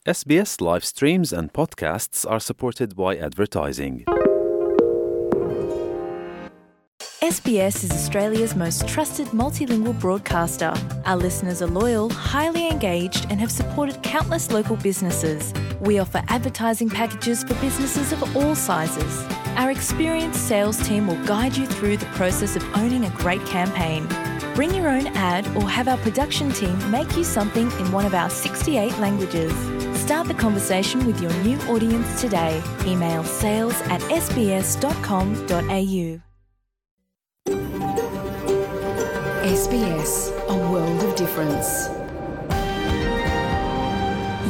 S B S live streams and podcasts are supported by advertising. S B S is Australia's most trusted multilingual broadcaster. Our listeners are loyal, highly engaged, and have supported countless local businesses. We offer advertising packages for businesses of all sizes. Our experienced sales team will guide you through the process of owning a great campaign. Bring your own ad or have our production team make you something in one of our sixty-eight languages. Start the conversation with your new audience today. Email sales at S B S dot com dot A U. S B S, a world of difference.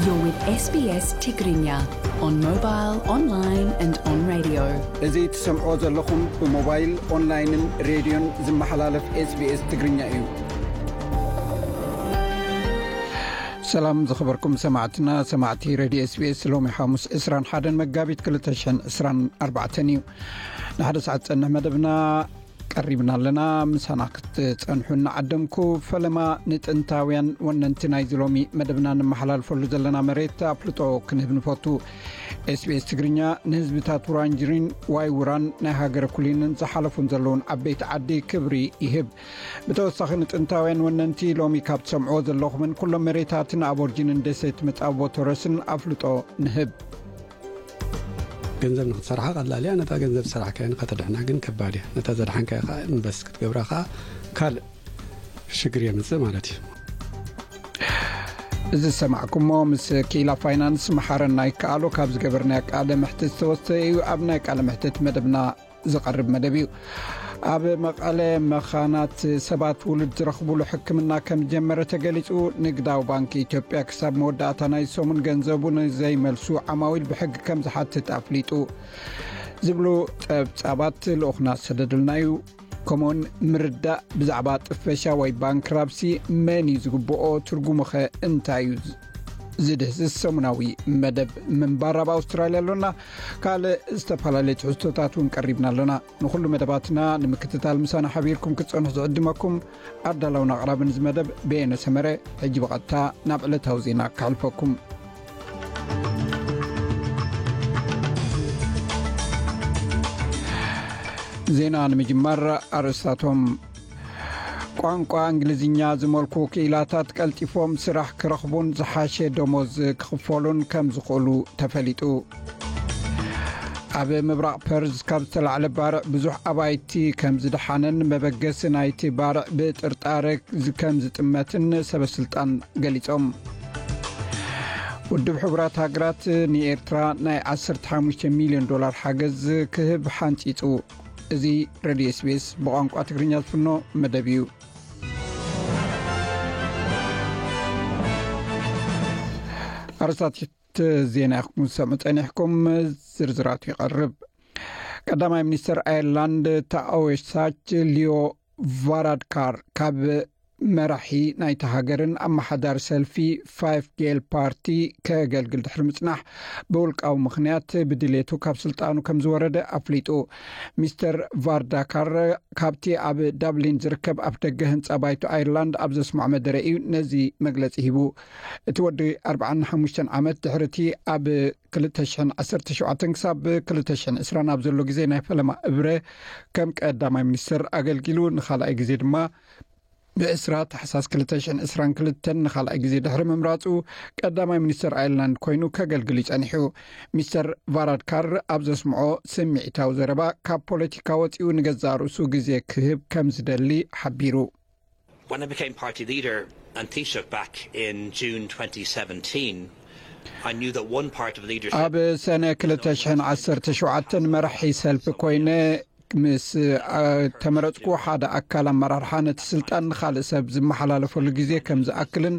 You're with S B S Tigrinya on mobile, online and on radio. እዚ ትሰምዖ ዘለኹም ብሞባይል፣ ኦንላይንን ሬድዮን ዝመሓላለፍ S B S ትግርኛ እዩ። ሰላም ዝኸበርኩም ሰማዕትና፣ ሰማዕቲ ሬድዮ S B S፣ ሎሚ ሓሙስ ዕስራን ሓደን መጋቢት ክልተ ሽሕን ዕስራን ኣርባዕተን እዩ። ንሓደ ሰዓት ዝጸንሕ መደብና ቀሪብና ኣለና። ምሳና ክትጸንሑ እናዓደምኩ፣ ፈለማ ንጥንታውያን ወነንቲ ናይዚ ሎሚ መደብና ንመሓላልፈሉ ዘለና መሬት ኣፍልጦ ክንህብ ንፈቱ። S B S ትግርኛ ንህዝብታት ውራንጅሪን ዋይ ውራን ናይ ሃገረ ኩሊንን ዝሓለፉን ዘለውን ዓበይቲ ዓዲ ክብሪ ይህብ። ብተወሳኺ ንጥንታውያን ወነንቲ ሎሚ ካብ ትሰምዕዎ ዘለኹምን ኩሎም መሬታትን ኣቦርጂንን ደሴት መጻቦ ቶረስን ኣፍልጦ ንህብ። ገንዘብ ንክትሰርሓ ቀላል እያ። ነታ ገንዘብ ዝሰራሕካያ ንኸተድሕና ግን ከባድ እያ። ነታ ዘድሓንካያ ከዓ ኢንቨስት ክትገብራ ከዓ ካልእ ሽግር የምፅእ ማለት እዩ። እዚ ዝሰማዕኩሞ ምስ ክኢላ ፋይናንስ መሓረና ይከኣሎ ካብ ዝገበርናዮ ቃለ መሕትት ዝተወስደ እዩ። ኣብ ናይ ቃለ መሕትት መደብና ዝቐርብ መደብ እዩ። ኣብ መቐለ መኻናት ሰባት ውሉድ ዝረኽቡሉ ሕክምና ከም ዝጀመረ ተገሊጹ። ንግዳዊ ባንኪ ኢትዮጵያ ክሳብ መወዳእታ ናይ ሰሙን ገንዘቡ ንዘይመልሱ ዓማዊል ብሕጊ ከም ዝሓትት ኣፍሊጡ ዝብሉ ጸብጻባት ልኡኽና ዝሰደዱልና እዩ። ከምኡውን ምርዳእ ብዛዕባ ጥፈሻ ወይ ባንክራፕሲ መን እዩ ዝግብኦ፣ ትርጉሙኸ እንታይ እዩ ዝድህስስ ሰሙናዊ መደብ ምንባር ኣብ ኣውስትራልያ ኣሎና። ካልእ ዝተፈላለዩ ትሕዝቶታት እውን ቀሪብና ኣሎና። ንኹሉ መደባትና ንምክትታል ምሳና ሓቢርኩም ክትጸንሑ ዝዕድመኩም ኣዳላውን ኣቕራብን እዚ መደብ በየነ ሰመረ። ሕጂ ብቐጥታ ናብ ዕለታዊ ዜና ክሕልፈኩም። ዜና ንምጅማር ኣርእስታቶም። ቋንቋ እንግሊዝኛ ዝመልኩ ክኢላታት ቀልጢፎም ስራሕ ክረኽቡን ዝሓሸ ደሞዝ ክኽፈሉን ከም ዝኽእሉ ተፈሊጡ። ኣብ ምብራቕ ፐርዝ ካብ ዝተላዕለ ባርዕ ብዙሕ ኣባይቲ ከም ዝደሓነን መበገሲ ናይቲ ባርዕ ብጥርጣረ ከም ዝጥመትን ሰበስልጣን ገሊጾም። ውድብ ሕቡራት ሃገራት ንኤርትራ ናይ ዓሰርተ ሓሙሽተ ሚልዮን ዶላር ሓገዝ ክህብ ሓንጺጹ። እዚ ሬድዮ S B S ብቋንቋ ትግርኛ ዝፍኖ መደብ እዩ። ኣርእስታት ዜና ኢኹም ዝሰምዑ ጸኒሕኩም፣ ዝርዝራቱ ይቐርብ። ቀዳማይ ሚኒስተር ኣየርላንድ ታኦሳች ሊዮ ቫራድካር ካብ መራሒ ናይቲ ሃገርን ኣመሓዳሪ ሰልፊ ፋይፍ ጌል ፓርቲ ከገልግል ድሕሪ ምጽናሕ ብውልቃዊ ምኽንያት ብድሌቱ ካብ ስልጣኑ ከም ዝወረደ ኣፍሊጡ። ሚስተር ቫርዳካር ካብቲ ኣብ ዳብሊን ዝርከብ ኣፍደገ ህንጻ ባይቶ ኣየርላንድ ኣብ ዘስምዖ መደረ እዩ ነዚ መግለጺ ሂቡ። እቲ ወዲ ኣርብዓን ሓሙሽተን ዓመት ድሕሪ እቲ ኣብ ክልተ ሽሕን ዓሰርተ ሸውዓተን ክሳብ ክልተ ሽሕን ዕስራን ኣብ ዘሎ ግዜ ናይ ፈለማ እብረ ከም ቀዳማይ ሚኒስተር ኣገልጊሉ፣ ንኻልኣይ ግዜ ድማ ብዕስራ ታሕሳስ ክልተ ሽሕን ዕስራን ክልተን ንኻልኣይ ግዜ ድሕሪ ምምራጹ ቀዳማይ ሚኒስተር ኣየርላንድ ኮይኑ ከገልግል እዩ ጸኒሑ። ሚስተር ቫራድካር ኣብ ዘስምዖ ስምዒታዊ ዘረባ ካብ ፖለቲካ ወጺኡ ንገዛእ ርእሱ ግዜ ክህብ ከም ዝደሊ ሓቢሩ። When I became party leader and Taoiseach back in June twenty seventeen, I knew that one part of leadership ኣብ ሰነ ክልተ ሽሕን ዓሰርተ ሸውዓተን መራሒ ሰልፊ ኮይነ ምስ ኣ- ተመረጽኩ፣ ሓደ ኣካል ኣመራርሓ ነቲ ስልጣን ንኻልእ ሰብ ዝመሓላለፈሉ ግዜ ከም ዝኣክልን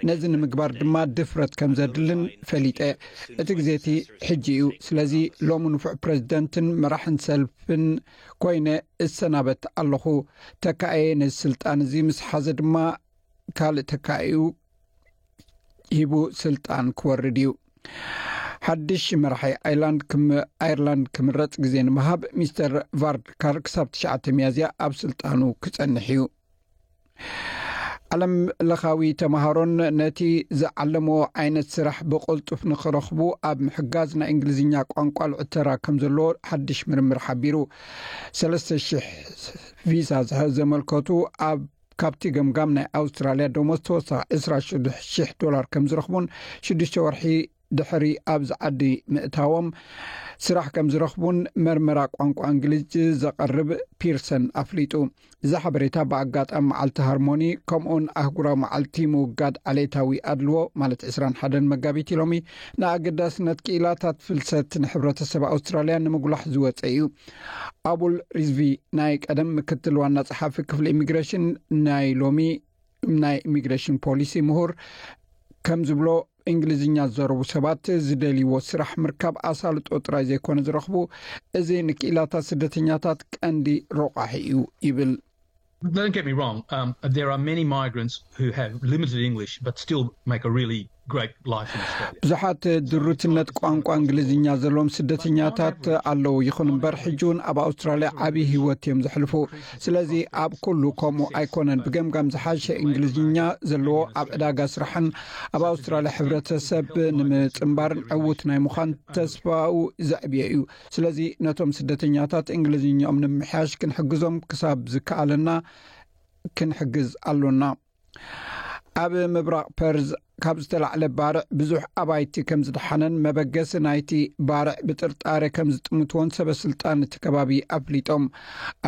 ነዚ ንምግባር ድማ ድፍረት ከም ዘድልን ፈሊጠ። እቲ ግዜ እቲ ሕጂ እዩ። ስለዚ ሎሚ ንፉዕ ፕሬዝደንትን መራሕን ሰልፍን ኮይነ እሰናበት ኣለኹ። ተካኤ ነዚ ስልጣን እዚ ምስ ሓዘ ድማ ካልእ ተካኢኡ ሂቡ ስልጣን ክወርድ እዩ። ሓድሽ መራሒ ኣይላንድ ክም- ኣየርላንድ ክምረጽ ግዜ ንምሃብ ሚስተር ቫርድካር ክሳብ ትሽዓተ ሚያዝያ ኣብ ስልጣኑ ክጸንሕ እዩ። ዓለም ለኻዊ ተምሃሮን ነቲ ዝዓለምዎ ዓይነት ስራሕ ብቕልጡፍ ንኽረኽቡ ኣብ ምሕጋዝ ናይ እንግሊዝኛ ቋንቋ ልዑል ተራ ከም ዘለዎ ሓድሽ ምርምር ሓቢሩ። ሰለስተ ሽሕ ቪዛ ዘመልከቱ ኣብ ካብቲ ገምጋም ናይ ኣውስትራልያ ደሞዝ ተወሳኺ ዕስራ ሽሕ ዶላር ከም ዝረኽቡን ሽዱሽተ ወርሒ ድሕሪ ኣብዚ ዓዲ ምእታዎም ስራሕ ከም ዝረኽቡን መርመራ ቋንቋ እንግሊዝ ዘቐርብ ፒርሰን ኣፍሊጡ። እዚ ሓበሬታ ብኣጋጣሚ መዓልቲ ሃርሞኒ ከምኡውን ኣህጉራዊ መዓልቲ ምውጋድ ዓሌታዊ ኣድልዎ ማለት ዕስራን ሓደን መጋቢት ሎሚ ንኣገዳስነት ክኢላታት ፍልሰት ንሕብረተሰብ ኣውስትራልያ ንምጉላሕ ዝወፀ እዩ። ኣቡል ሪዝቪ ናይ ቀደም ምክትል ዋና ጸሓፊ ክፍሊ ኢሚግሬሽን ናይ ሎሚ ናይ ኢሚግሬሽን ፖሊሲ ምሁር ከም ዝብሎ እንግሊዝኛ ዝዘረቡ ሰባት ዝደልይዎ ስራሕ ምርካብ ኣሳልጦ ጥራይ ዘይኮነ ዝረኽቡ፣ እዚ ንክኢላታት ስደተኛታት ቀንዲ ረቋሒ እዩ ይብል። Don't get me wrong, um, there are many migrants who have limited English but still make a really great life in Australia. ብዙሓት ድሩትነት ቋንቋ እንግሊዝኛ ዘለዎም ስደተኛታት ኣለዉ። ይኹን እምበር ሕጂ እውን ኣብ ኣውስትራልያ ዓብዪ ህይወት እዮም ዘሕልፉ። ስለዚ ኣብ ኩሉ ከምኡ ኣይኮነን። ብገምጋም ዝሓሸ እንግሊዝኛ ዘለዎ ኣብ ዕዳጋ ስራሕን ኣብ ኣውስትራልያ ሕብረተሰብ ንምጽንባርን ዕዉት ናይ ምዃን ተስፋኡ ዘዕብየ እዩ። ስለዚ ነቶም ስደተኛታት እንግሊዝኛኦም ንምምሕያሽ ክንሕግዞም ክሳብ ዝከኣለና ክንሕግዝ ኣሎና። ኣብ ምብራቕ ፐርዝ ካብ ዝተላዕለ ባርዕ ብዙሕ ኣባይቲ ከም ዝደሓነን መበገሲ ናይቲ ባርዕ ብጥርጣረ ከም ዝጥምትዎን ሰበ ስልጣን እቲ ከባቢ ኣፍሊጦም።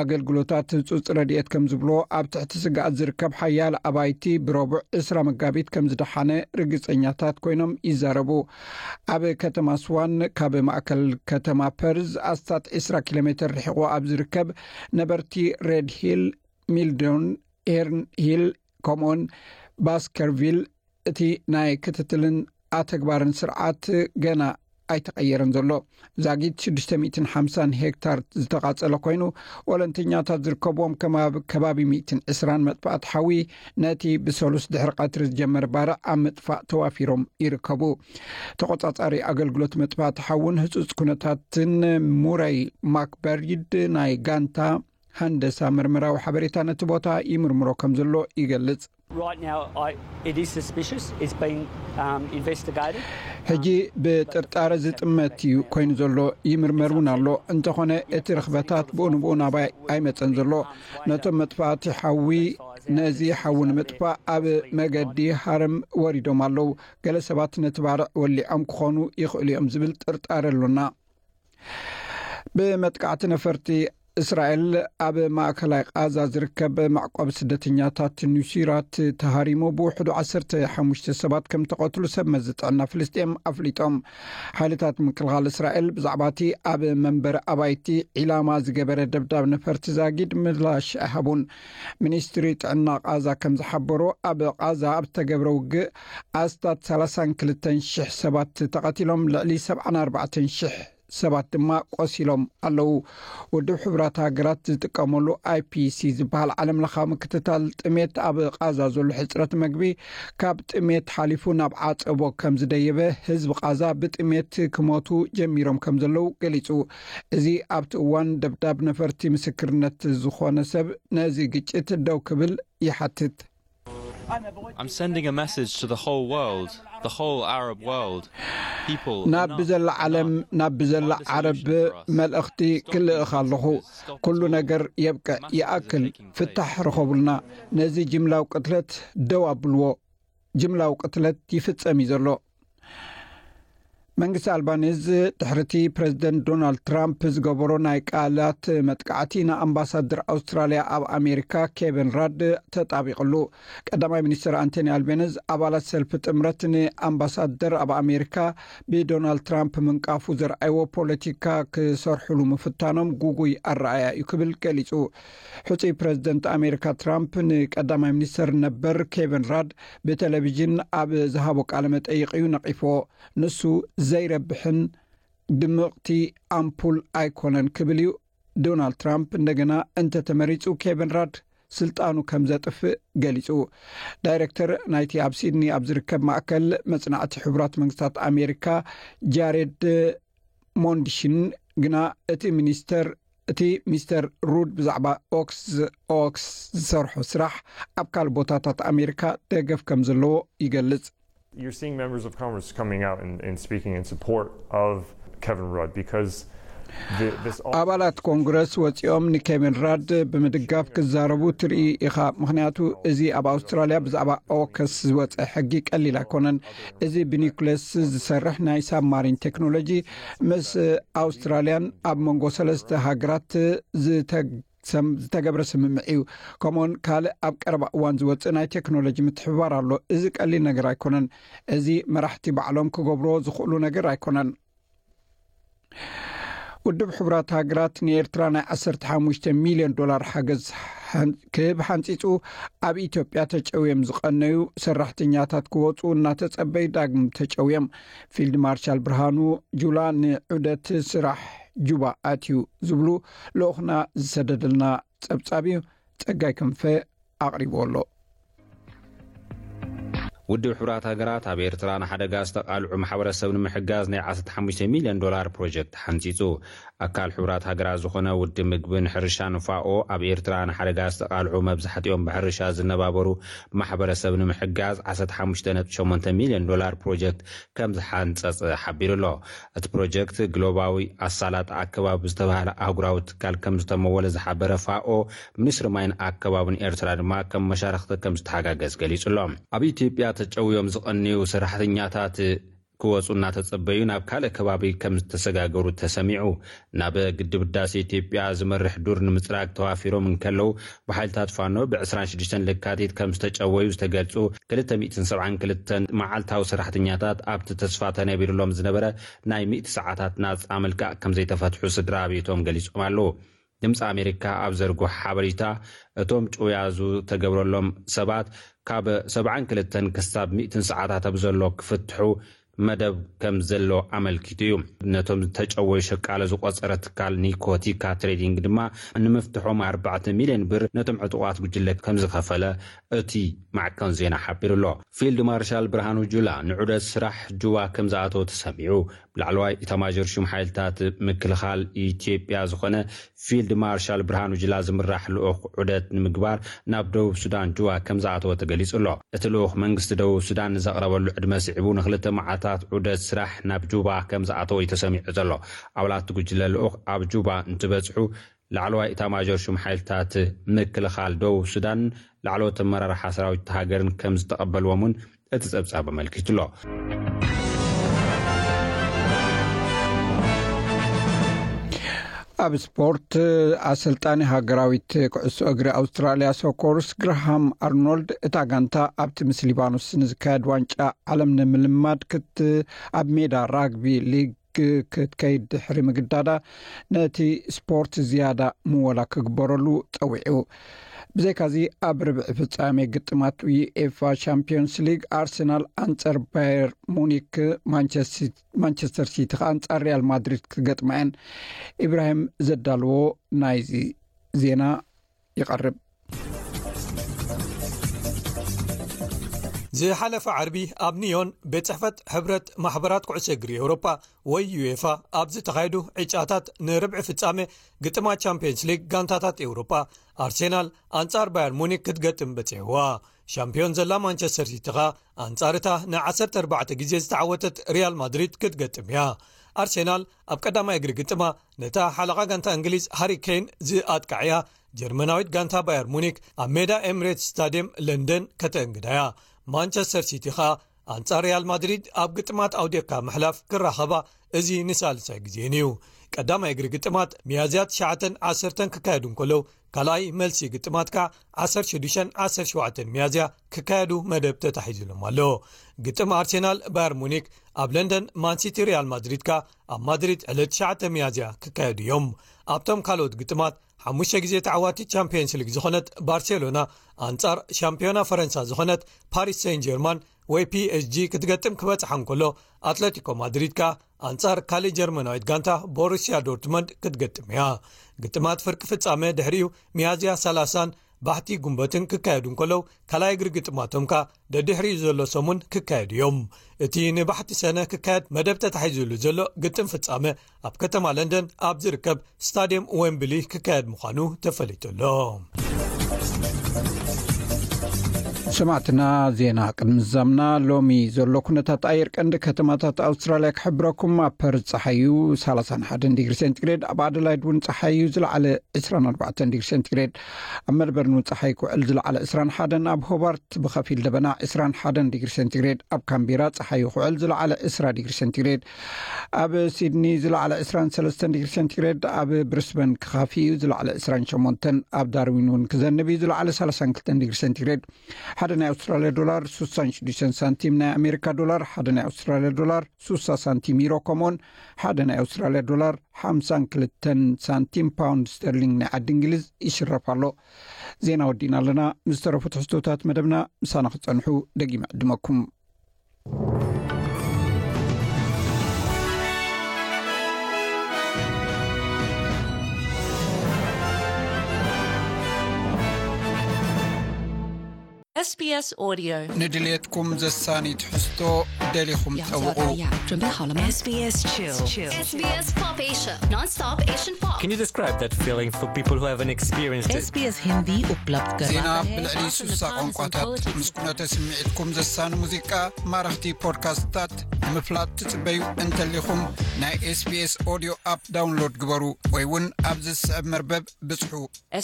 ኣገልግሎታት ህጹጽ ረድኤት ከም ዝብሎ ኣብ ትሕቲ ስግኣት ዝርከብ ሓያል ኣባይቲ ብረቡዕ ዕስራ መጋቢት ከም ዝደሓነ ርግጸኛታት ኮይኖም ይዛረቡ። ኣብ ከተማ ስዋን ካብ ማእከል ከተማ ፐርዝ ኣስታት ዕስራ ኪሎ ሜትር ርሒቑ ኣብ ዝርከብ ነበርቲ ሬድ ሂል፣ ሚልዶን፣ ኤርን ሂል ከምኡውን ባስከርቪል እቲ ናይ ክትትልን ኣተግባርን ስርዓት ገና ኣይተቐየረን ዘሎ። ዛጊት ሽዱሽተ ሚእትን ሓምሳን ሄክታር ዝተቓጸለ ኮይኑ ወለንተኛታት ዝርከብዎም ከባቢ ሚእትን ዕስራን መጥፋእቲ ሓዊ ነቲ ብሰሉስ ድሕሪ ቀትሪ ዝጀመረ ባርዕ ኣብ ምጥፋእ ተዋፊሮም ይርከቡ። ተቆጻጻሪ ኣገልግሎት መጥፋእቲ ሓውን ህጹጽ ኩነታትን ሙረይ ማክበሪድ ናይ ጋንታ ሃንደሳ ምርምራዊ ሓበሬታ ነቲ ቦታ ይምርምሮ ከም ዘሎ ይገልጽ። Right now, I, it is suspicious. It's being um, investigated. ሕጂ ብጥርጣረ ዝጥመት እዩ ኮይኑ ዘሎ፣ ይምርመር እውን ኣሎ። እንተኾነ እቲ ርኽበታት ብኡ ንብኡ ናባይ ኣይመጸን ዘሎ። ነቶም መጥፋእቲ ሓዊ ነዚ ሓዊ ንምጥፋእ ኣብ መገዲ ሃረም ወሪዶም ኣለዉ። ገለ ሰባት ነቲ ባርዕ ወሊዖም ክኾኑ ይኽእሉ እዮም ዝብል ጥርጣረ ኣሎና። ብመጥቃዕቲ ነፈርቲ እስራኤል ኣብ ማእከላይ ቃዛ ዝርከብ መዕቆቢ ስደተኛታት ኑሲራት ተሃሪሙ ብውሕዱ ዓሰርተ ሓሙሽተ ሰባት ከም ተቐትሉ ሰብ መዚ ጥዕና ፍልስጤም ኣፍሊጦም። ሓይልታት ምክልኻል እስራኤል ብዛዕባ እቲ ኣብ መንበሪ ኣባይቲ ዒላማ ዝገበረ ደብዳብ ነፈርቲ ዛጊድ ምላሽ ኣይሃቡን። ሚኒስትሪ ጥዕና ቃዛ ከም ዝሓበሮ ኣብ ቃዛ ኣብ ዝተገብረ ውግእ ኣስታት ሰላሳን ክልተን ሽሕ ሰባት ተቐቲሎም ልዕሊ ሰብዓን ኣርባዕተን ሽሕ ሰባት ድማ ቆሲሎም ኣለዉ። ውድብ ሕቡራት ሃገራት ዝጥቀመሉ ኣይፒሲ ዝበሃል ዓለም ለኻዊ ምክትታል ጥሜት ኣብ ቃዛ ዘሎ ሕፅረት መግቢ ካብ ጥሜት ሓሊፉ ናብ ዓፀቦ ከም ዝደየበ ህዝቢ ቃዛ ብጥሜት ክሞቱ ጀሚሮም ከም ዘለዉ ገሊፁ። እዚ ኣብቲ እዋን ደብዳብ ነፈርቲ ምስክርነት ዝኾነ ሰብ ነዚ ግጭት ደው ክብል ይሓትት። I'm sending a message to the whole world, the whole Arab world. People, ናብ ብዘላ ዓለም ናብ ብዘላ ዓረብ መልእኽቲ ክልእኽ ኣለኹ። ኩሉ ነገር የብቅዕ፣ ይኣክል፣ ፍታሕ ርኸቡልና። ነዚ ጅምላዊ ቅትለት ደው ኣብልዎ። ጅምላዊ ቅትለት ይፍጸም እዩ ዘሎ። መንግስቲ ኣልባኒዝ ድሕርቲ ፕረዚደንት ዶናልድ ትራምፕ ዝገበሮ ናይ ቃላት መጥቃዕቲ ንኣምባሳደር ኣውስትራልያ ኣብ ኣሜሪካ ኬቨን ራድ ተጣቢቕሉ። ቀዳማይ ሚኒስትር ኣንቶኒ ኣልቤነዝ ኣባላት ሰልፊ ጥምረት ንኣምባሳደር ኣብ ኣሜሪካ ብዶናልድ ትራምፕ ምንቃፉ ዘርኣይዎ ፖለቲካ ክሰርሕሉ ምፍታኖም ጉጉይ ኣረኣያ እዩ ክብል ገሊጹ። ሕጹይ ፕረዚደንት ኣሜሪካ ትራምፕ ንቀዳማይ ሚኒስትር ነበር ኬቨን ራድ ብቴሌቪዥን ኣብ ዝሃቦ ቃለ መጠይቕ እዩ ነቒፍዎ። ንሱ ዘይረብሕን ድምቕቲ ኣምፑል ኣይኮነን ክብል እዩ ዶናልድ ትራምፕ እንደገና እንተተመሪጹ ኬቨን ራድ ስልጣኑ ከም ዘጥፍእ ገሊጹ። ዳይረክተር ናይቲ ኣብ ሲድኒ ኣብ ዝርከብ ማእከል መጽናዕቲ ሕቡራት መንግስታት ኣሜሪካ ጃሬድ ሞንድሽን ግና እቲ ሚኒስተር እቲ ሚስተር ሩድ ብዛዕባ ኦክስ ኦክስ ዝሰርሖ ስራሕ ኣብ ካልእ ቦታታት ኣሜሪካ ደገፍ ከም ዘለዎ ይገልጽ። You're seeing members of Congress coming out and, and speaking in support of Kevin Rudd because the, this all ኣባላት ኮንግረስ ወፂኦም ንኬቪን ራድ ብምድጋፍ ክዛረቡ ትርኢ ኢኻ። ምክንያቱ እዚ ኣብ ኣውስትራልያ ብዛዕባ ኦከስ ዝወፀ ሕጊ ቀሊል ኣይኮነን። እዚ ብኒኩሌስ ዝሰርሕ ናይ ሳብማሪን ቴክኖሎጂ ምስ ኣውስትራልያን ኣብ መንጎ ሰለስተ ሃገራት ዝተግ ሰም ዝተገብረ ስምምዕ እዩ። ከምኡውን ካልእ ኣብ ቀረባ እዋን ዝወፅእ ናይ ቴክኖሎጂ ምትሕብባር ኣሎ። እዚ ቀሊል ነገር ኣይኮነን። እዚ መራሕቲ ባዕሎም ክገብርዎ ዝኽእሉ ነገር ኣይኮነን። ውድብ ሕቡራት ሃገራት ንኤርትራ ናይ ዓሰርተ ሓሙሽተ ሚልዮን ዶላር ሓገዝ ክህብ ሓንፂፁ ኣብ ኢትዮጵያ ተጨውዮም ዝቐነዩ ሰራሕተኛታት ክወፁ እናተፀበዩ ዳግም ተጨውዮም። ፊልድ ማርሻል ብርሃኑ ጁላ ንዑደት ስራሕ ጁባ ኣትዩ ዝብሉ ልኡኽና ዝሰደደልና ፀብፃብ እዩ። ፀጋይ ክንፈ ኣቕሪቡ ኣሎ። ውድብ ሕቡራት ሃገራት ኣብ ኤርትራ ንሓደጋ ዝተቓልዑ ማሕበረሰብ ንምሕጋዝ ናይ ዓሰርተ ሓሙሽተ ሚልዮን ዶላር ፕሮጀክት ሓንፂፁ። ኣካል ሕቡራት ሃገራት ዝኾነ ውድብ ምግብን ሕርሻን ፋኦ ኣብ ኤርትራ ንሓደጋ ዝተቓልዑ መብዛሕትኦም ብሕርሻ ዝነባበሩ ማሕበረሰብ ንምሕጋዝ ዓሰርተ ሓሙሽተ ነጥቢ ሸሞንተ ሚልዮን ዶላር ፕሮጀክት ከም ዝሓንፀፀ ሓቢሩ ኣሎ። እቲ ፕሮጀክት ግሎባዊ ኣሳላጥ ኣከባቢ ዝተባህለ ኣህጉራዊ ትካል ከም ዝተመወለ ዝሓበረ ፋኦ፣ ሚኒስትሪ ማይን ኣከባብን ኤርትራ ድማ ከም መሻርክቲ ከም ዝተሓጋገዝ ገሊጹ ኣሎ። ኣብ ኢትዮጵያ ተጨውዮም ዝቐንዩ ሰራሕተኛታት ክወፁ እናተጸበዩ ናብ ካልእ ከባቢ ከም ዝተሰጋገሩ ተሰሚዑ። ናብ ግድብ ህዳሴ ኢትዮጵያ ዝመርሕ ዱር ንምጽራግ ተዋፊሮም እንከለዉ፣ ብሓይልታት ፋኖ ብ ዕስራን ሽዱሽተን ለካቲት ከም ዝተጨወዩ ዝተገልጹ ክልተ ሚእትን ሰብዓን ክልተን መዓልታዊ ሰራሕተኛታት ኣብቲ ተስፋ ተነቢርሎም ዝነበረ ናይ ሚእቲ ሰዓታት ናጻ ምልቃቕ ከም ዘይተፈትሑ ስድራ ቤቶም ገሊጾም ኣለዉ። ድምፂ ኣሜሪካ ኣብ ዘርግሖ ሓበሬታ፣ እቶም ጭውያ ዝተገብረሎም ሰባት ካብ ሰብዓን ክልተን ክሳብ ሚእትን ሰዓታት ኣብ ዘሎ ክፍትሑ መደብ ከም ዘሎ ኣመልኪቱ እዩ። ነቶም ዝተጨወዩ ሸቃለ ዝቆጸረ ትካል ኒኮቲካ ትሬዲንግ ድማ ንምፍትሖም ኣርባዕተ ሚልዮን ብር ነቶም ዕጡቓት ጉጅለ ከም ዝኸፈለ እቲ ማዕከን ዜና ሓቢሩ ኣሎ። ፊልድ ማርሻል ብርሃኑ ጁላ ንዑደት ስራሕ ጁባ ከም ዝኣተወ ተሰሚዑ። ላዕለዋይ ኢታማዦር ሹም ሓይልታት ምክልኻል ኢትዮጵያ ዝኾነ ፊልድ ማርሻል ብርሃኑ ጁላ ዝምራሕ ልኡኽ ዑደት ንምግባር ናብ ደቡብ ሱዳን ጁባ ከም ዝኣተወ ተገሊጹ ኣሎ። እቲ ልኡኽ መንግስቲ ደቡብ ሱዳን ንዘቕረበሉ ዕድመ ስዒቡ ንክልተ መዓልታት ዑደት ስራሕ ናብ ጁባ ከም ዝኣተወ እዩ ተሰሚዑ ዘሎ። ኣባላት እቲ ጉጅለ ልኡኽ ኣብ ጁባ እንትበጽሑ ላዕለዋይ ኢታማዦር ሹም ሓይልታት ምክልኻል ደቡብ ሱዳን ላዕለዎት ኣመራርሓ ሰራዊት እታ ሃገርን ከም ዝተቐበልዎም እውን እቲ ጸብጻብ ኣመልኪቱ ኣሎ። ኣብ ስፖርት፣ ኣሰልጣኒ ሃገራዊት ኩዕሶ እግሪ ኣውስትራልያ ሶኮርስ ግርሃም ኣርኖልድ እታ ጋንታ ኣብቲ ምስ ሊባኖስ ንዝካየድ ዋንጫ ዓለም ንምልማድ ክት ኣብ ሜዳ ራግቢ ሊግ ክትከይድ ድሕሪ ምግዳዳ ነቲ ስፖርት ዝያዳ ምወላ ክግበረሉ ጸዊዑ። ብዘይካዚ ኣብ ርብዒ ፍጻሜ ግጥማት ዩኤፋ ቻምፒዮንስ ሊግ ኣርሰናል ኣንጻር ባየር ሙኒክ፣ ማንቸስተር ሲቲ ከኣ ኣንጻር ሪያል ማድሪድ ክገጥማ እየን። ኢብራሂም ዘዳልዎ ናይዚ ዜና ይቐርብ። ዝሓለፈ ዓርቢ ኣብ ኒዮን ቤት ጽሕፈት ሕብረት ማሕበራት ኩዕሶ እግሪ ኤውሮጳ ወይ ዩኤፋ ኣብ ዝተኻየዱ ዕጫታት ንርብዒ ፍጻሜ ግጥማት ቻምፒየንስ ሊግ ጋንታታት ኤውሮጳ ኣርሴናል ኣንጻር ባየር ሙኒክ ክትገጥም በጺሕዋ። ሻምፒዮን ዘላ ማንቸስተር ሲቲ ኸኣ ኣንጻር እታ ን ዓሰርተ ኣርባዕተ ግዜ ዝተዓወተት ሪያል ማድሪድ ክትገጥም እያ። ኣርሴናል ኣብ ቀዳማይ እግሪ ግጥማ ነታ ሓለቓ ጋንታ እንግሊዝ ሃሪ ኬን ዝኣጥቃዕያ ጀርመናዊት ጋንታ ባየር ሙኒክ ኣብ ሜዳ ኤምሬትስ ስታድየም ለንደን ከተእንግዳያ። ማንቸስተር ሲቲ ኸኣ ኣንጻር ሪያል ማድሪድ ኣብ ግጥማት ኣውዴካ ምሕላፍ ክራኸባ እዚ ንሳልሳይ ግዜን እዩ። ቀዳማይ እግሪ ግጥማት ሚያዝያ ትሽዓተን ዓሰርተን ክካየዱ እንከለዉ ካልኣይ መልሲ ግጥማት ከኣ ዓሰርተ ሽዱሽተን ዓሰርተ ሸውዓተን ሚያዝያ ክካየዱ መደብ ተታሒዙሎም ኣሎ። ግጥም ኣርሴናል ባየር ሙኒክ ኣብ ለንደን፣ ማንሲቲ ሪያል ማድሪድ ከኣ ኣብ ማድሪድ ዕለት ትሽዓተ ሚያዝያ ክካየዱ እዮም። ኣብቶም ካልኦት ግጥማት ሓሙሽተ ግዜ ተዓዋቲት ቻምፒየንስ ሊግ ዝኾነት ባርሴሎና ኣንጻር ሻምፒዮና ፈረንሳ ዝኾነት ፓሪስ ሴን ጀርማን ወይ ፒኤስጂ ክትገጥም ክበጽሓ እንከሎ ኣትለቲኮ ማድሪድ ከኣ ኣንጻር ካልእ ጀርመናዊት ጋንታ ቦሩስያ ዶርትመንድ ክትገጥም እያ። ግጥማት ፍርቂ ፍጻመ ድሕሪኡ ሚያዝያ ሰላሳን ባሕቲ ጉንበትን ክካየዱ እንከለዉ፣ ካልኣይ እግሪ ግጥማቶም ከኣ ደድሕሪኡ ዘሎ ሰሙን ክካየዱ እዮም። እቲ ንባሕቲ ሰነ ክካየድ መደብ ተታሒዙሉ ዘሎ ግጥም ፍጻመ ኣብ ከተማ ለንደን ኣብ ዝርከብ ስታድየም ዌምብሊ ክካየድ ምዃኑ ተፈሊጡ ኣሎ። ሰማዕትና፣ ዜና ቅድሚ ዝዛምና፣ ሎሚ ዘሎ ኩነታት ኣየር ቀንዲ ከተማታት ኣውስትራልያ ክሕብረኩም። ኣብ ፐርዝ ጸሓዩ ሰላሳን ሓደን ዲግሪ ሴንቲግሬድ፣ ኣብ ኣደላይድ እውን ጸሓዩ ዝለዓለ ዕስራን ኣርባዕተን ዲግሪ ሴንቲግሬድ፣ ኣብ መልበርን እውን ጸሓይ ክውዕል ዝለዓለ ዕስራን ሓደን፣ ኣብ ሆባርት ብኸፊል ደበና ዕስራን ሓደን ዲግሪ ሴንቲግሬድ፣ ኣብ ካምቢራ ጸሓዩ ክውዕል ዝለዓለ ዕስራ ዲግሪ ሴንቲግሬድ፣ ኣብ ሲድኒ ዝለዓለ ዕስራን ሰለስተን ዲግሪ ሴንቲግሬድ፣ ኣብ ብሪስበን ክኻፊ እዩ ዝለዓለ ዕስራን ሸሞንተን፣ ኣብ ዳርዊን እውን ክዘንብ እዩ ዝለዓለ ሰላሳን ክልተን ዲግሪ ሴንቲግሬድ። ሓደ ናይ ኣውስትራልያ ዶላር ሱሳን ሽዱሽተን ሳንቲም፣ ናይ ኣሜሪካ ዶላር ሓደ ናይ ኣውስትራልያ ዶላር ሱሳ ሳንቲም፣ ዩሮ ከምኡውን ሓደ ናይ ኣውስትራልያ ዶላር ሓምሳን ክልተን ሳንቲም፣ ፓውንድ ስተርሊንግ ናይ ዓዲ እንግሊዝ ይሽረፍ ኣሎ። ዜና ወዲእና ኣለና። ምስ ተረፉ ትሕዝቶታት መደብና ምሳና ክጸንሑ ደጊመ ዕድመኩም። S B S Audio. ንድሌትኩም ዘሳኒ ትሕዝቶ ደሊኹም ጠውቑ። S B S Chill. S B S Pop Asia, non-stop Asian pop. Can you describe that feeling for people who haven't experienced it? S B S Hindi उपलब्ध ዜና ብልዕሊ ሱሳ ቋንቋታት ምስ ኩነተ ስምዒትኩም ዘሳኒ ሙዚቃ፣ ማረኽቲ ፖድካስትታት ንምፍላጥ ትጽበዩ እንተሊኹም፣ ናይ S B S Audio ኣፕ ዳውንሎድ ግበሩ ወይ እውን ኣብዚ ዝስዕብ መርበብ ብጽሑ።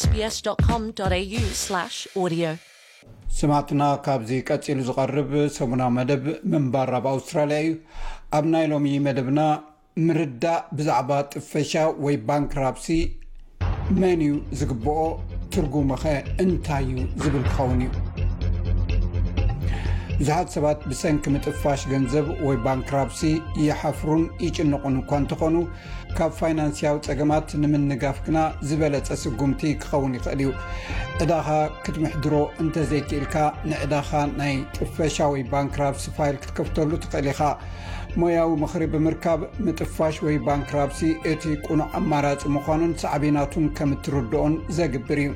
S B S dot com dot A U slash audio. ስማዕትና፣ ካብዚ ቀጺሉ ዝቐርብ ሰሙናዊ መደብ ምንባር ኣብ ኣውስትራልያ እዩ። ኣብ ናይ ሎሚ መደብና፣ ምርዳእ ብዛዕባ ጥፈሻ ወይ ባንክራፕሲ መን እዩ ዝግብኦ? ትርጉሙኸ እንታይ እዩ? ዝብል ክኸውን እዩ። ብዙሓት ሰባት ብሰንኪ ምጥፋሽ ገንዘብ ወይ ባንክራፕሲ ይሓፍሩን ይጭነቑን እኳ እንተኾኑ፣ ካብ ፋይናንስያዊ ጸገማት ንምንጋፍ ግና ዝበለጸ ስጉምቲ ክኸውን ይኽእል እዩ። ዕዳኻ ክትምሕድሮ እንተዘይክኢልካ፣ ንዕዳኻ ናይ ጥፈሻ ወይ ባንክራፕሲ ፋይል ክትከፍተሉ ትኽእል ኢኻ። ሞያዊ ምኽሪ ብምርካብ፣ ምጥፋሽ ወይ ባንክራፕሲ እቲ ቅኑዕ ኣማራጺ ምዃኑን ሳዕቤናቱን ከም እትርድኦን ዘግብር እዩ።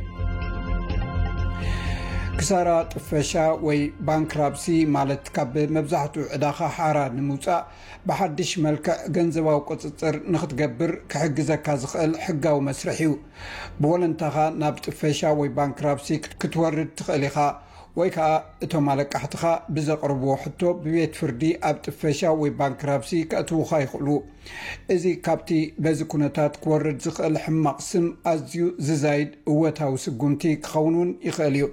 ክሳራ ጥፈሻ ወይ ባንክራፕሲ ማለት፣ ካብ መብዛሕትኡ ዕዳኻ ሓራ ንምውጻእ ብሓድሽ መልክዕ ገንዘባዊ ቁጽጽር ንኽትገብር ክሕግዘካ ዝኽእል ሕጋዊ መስርሕ እዩ። ብወለንታኻ ናብ ጥፈሻ ወይ ባንክራፕሲ ክት-፣ ክትወርድ ትኽእል ኢኻ፣ ወይ ከኣ እቶም ኣለቃሕትኻ ብዘቕርብዎ ሕቶ ብቤት ፍርዲ ኣብ ጥፈሻ ወይ ባንክራፕሲ ከእትዉኻ ይኽእሉ። እዚ ካብቲ በዚ ኩነታት ክወርድ ዝኽእል ሕማቕ ስም ኣዝዩ ዝዛይድ እወታዊ ስጉምቲ ክኸውን እውን ይኽእል እዩ።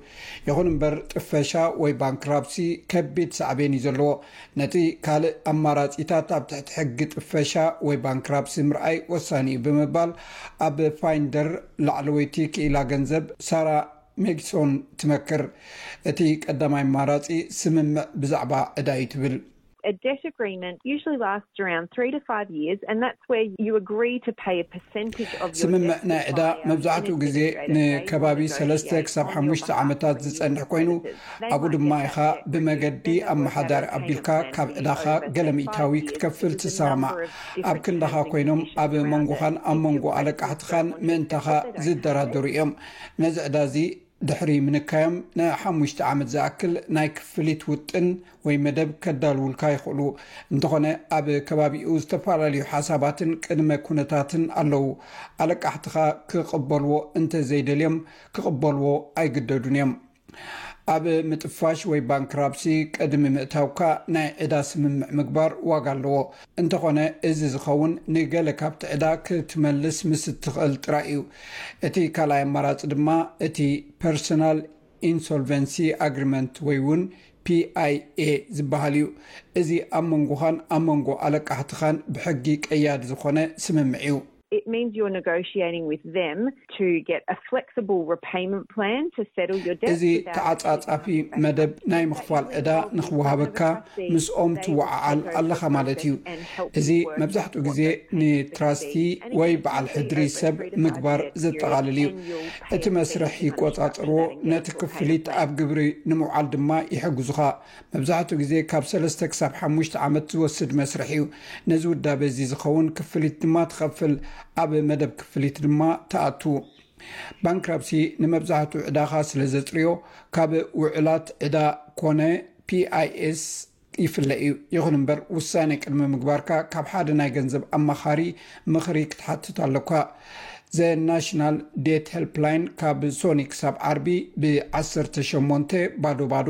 ይኹን እምበር፣ ጥፈሻ ወይ ባንክራፕሲ ከቢድ ሳዕቤን እዩ ዘለዎ። ነቲ ካልእ ኣማራጺታት ኣብ ትሕቲ ሕጊ ጥፈሻ ወይ ባንክራፕሲ ምርኣይ ወሳኒ እዩ ብምባል፣ ኣብ ፋይንደር ላዕለወይቲ ክኢላ ገንዘብ ሳራ ሜግሶን ትመክር። እቲ ቀዳማይ ኣማራጺ ስምምዕ ብዛዕባ ዕዳ እዩ ትብል። A debt agreement usually lasts around three to five years, and that's where you agree to pay a percentage of your debt to your buyer. ስምምዕ ናይ ዕዳ መብዛሕትኡ ግዜ ንከባቢ ሰለስተ ክሳብ ሓሙሽተ ዓመታት ዝጸንሕ ኮይኑ፣ ኣብኡ ድማ ኢኻ ብመገዲ ኣመሓዳሪ ኣቢልካ ካብ ዕዳኻ ገለ ሚእታዊ ክትከፍል ትሰማማዕ። ኣብ ክንዳኻ ኮይኖም ኣብ መንጎኻን ኣብ መንጎ ኣለቃሕትኻን ምእንታኻ ዝደራደሩ እዮም። ነዚ ዕዳ እዚ ድሕሪ ምንካዮም ንሓሙሽተ ዓመት ዝኣክል ናይ ክፍሊት ውጥን ወይ መደብ ከዳልውልካ ይኽእሉ። እንተኾነ፣ ኣብ ከባቢኡ ዝተፈላለዩ ሓሳባትን ቅድመ ኩነታትን ኣለዉ። ኣለቃሕትኻ ክቕበልዎ እንተዘይደልዮም፣ ክቕበልዎ ኣይግደዱን እዮም። ኣብ ምጥፋሽ ወይ ባንክራፕሲ ቅድሚ ምእታውካ ናይ ዕዳ ስምምዕ ምግባር ዋጋ ኣለዎ። እንተኾነ፣ እዚ ዝኸውን ንገለ ካብቲ ዕዳ ክትመልስ ምስ እትኽእል ጥራይ እዩ። እቲ ካልኣይ ኣማራጺ ድማ እቲ ፐርሶናል ኢንሶልቨንሲ ኣግሪመንት ወይ እውን P I A ዝበሃል እዩ። እዚ ኣብ መንጎኻን ኣብ መንጎ ኣለቃሕትኻን ብሕጊ ቀያዲ ዝኾነ ስምምዕ እዩ። It means you're negotiating with them to get a flexible repayment plan to settle your debt. እዚ ተዓጻጻፊ መደብ ናይ ምኽፋል ዕዳ ንኽወሃበካ ምስኦም ትወዓዓል ኣለኻ ማለት እዩ። እዚ መብዛሕትኡ ግዜ ንትራስቲ ወይ በዓል ሕድሪ ሰብ ምግባር ዘጠቓልል እዩ። እቲ መስርሕ ይቆጻጸርዎ፣ ነቲ ክፍሊት ኣብ ግብሪ ንምውዓል ድማ ይሕግዙኻ። መብዛሕትኡ ግዜ ካብ ሰለስተ ክሳብ ሓሙሽተ ዓመት ዝወስድ መስርሕ እዩ። ነዚ ውዳበ እዚ ዝኸውን ክፍሊት ድማ ትኸፍል፣ ኣብ መደብ ክፍሊት ድማ ትኣቱ። ባንክራፕሲ ንመብዛሕትኡ ዕዳኻ ስለ ዘጽርዮ፣ ካብ ውዕላት ዕዳ ኮነ ፒኣይኤስ ይፍለ እዩ። ይኹን እምበር፣ ውሳኔ ቅድሚ ምግባርካ ካብ ሓደ ናይ ገንዘብ ኣማኻሪ ምኽሪ ክትሓትት ኣለኳ። ዘ ናሽናል ዴት ሄልፕላይን ካብ ሶኒ ክሳብ ዓርቢ ብ18 ባዶ ባዶ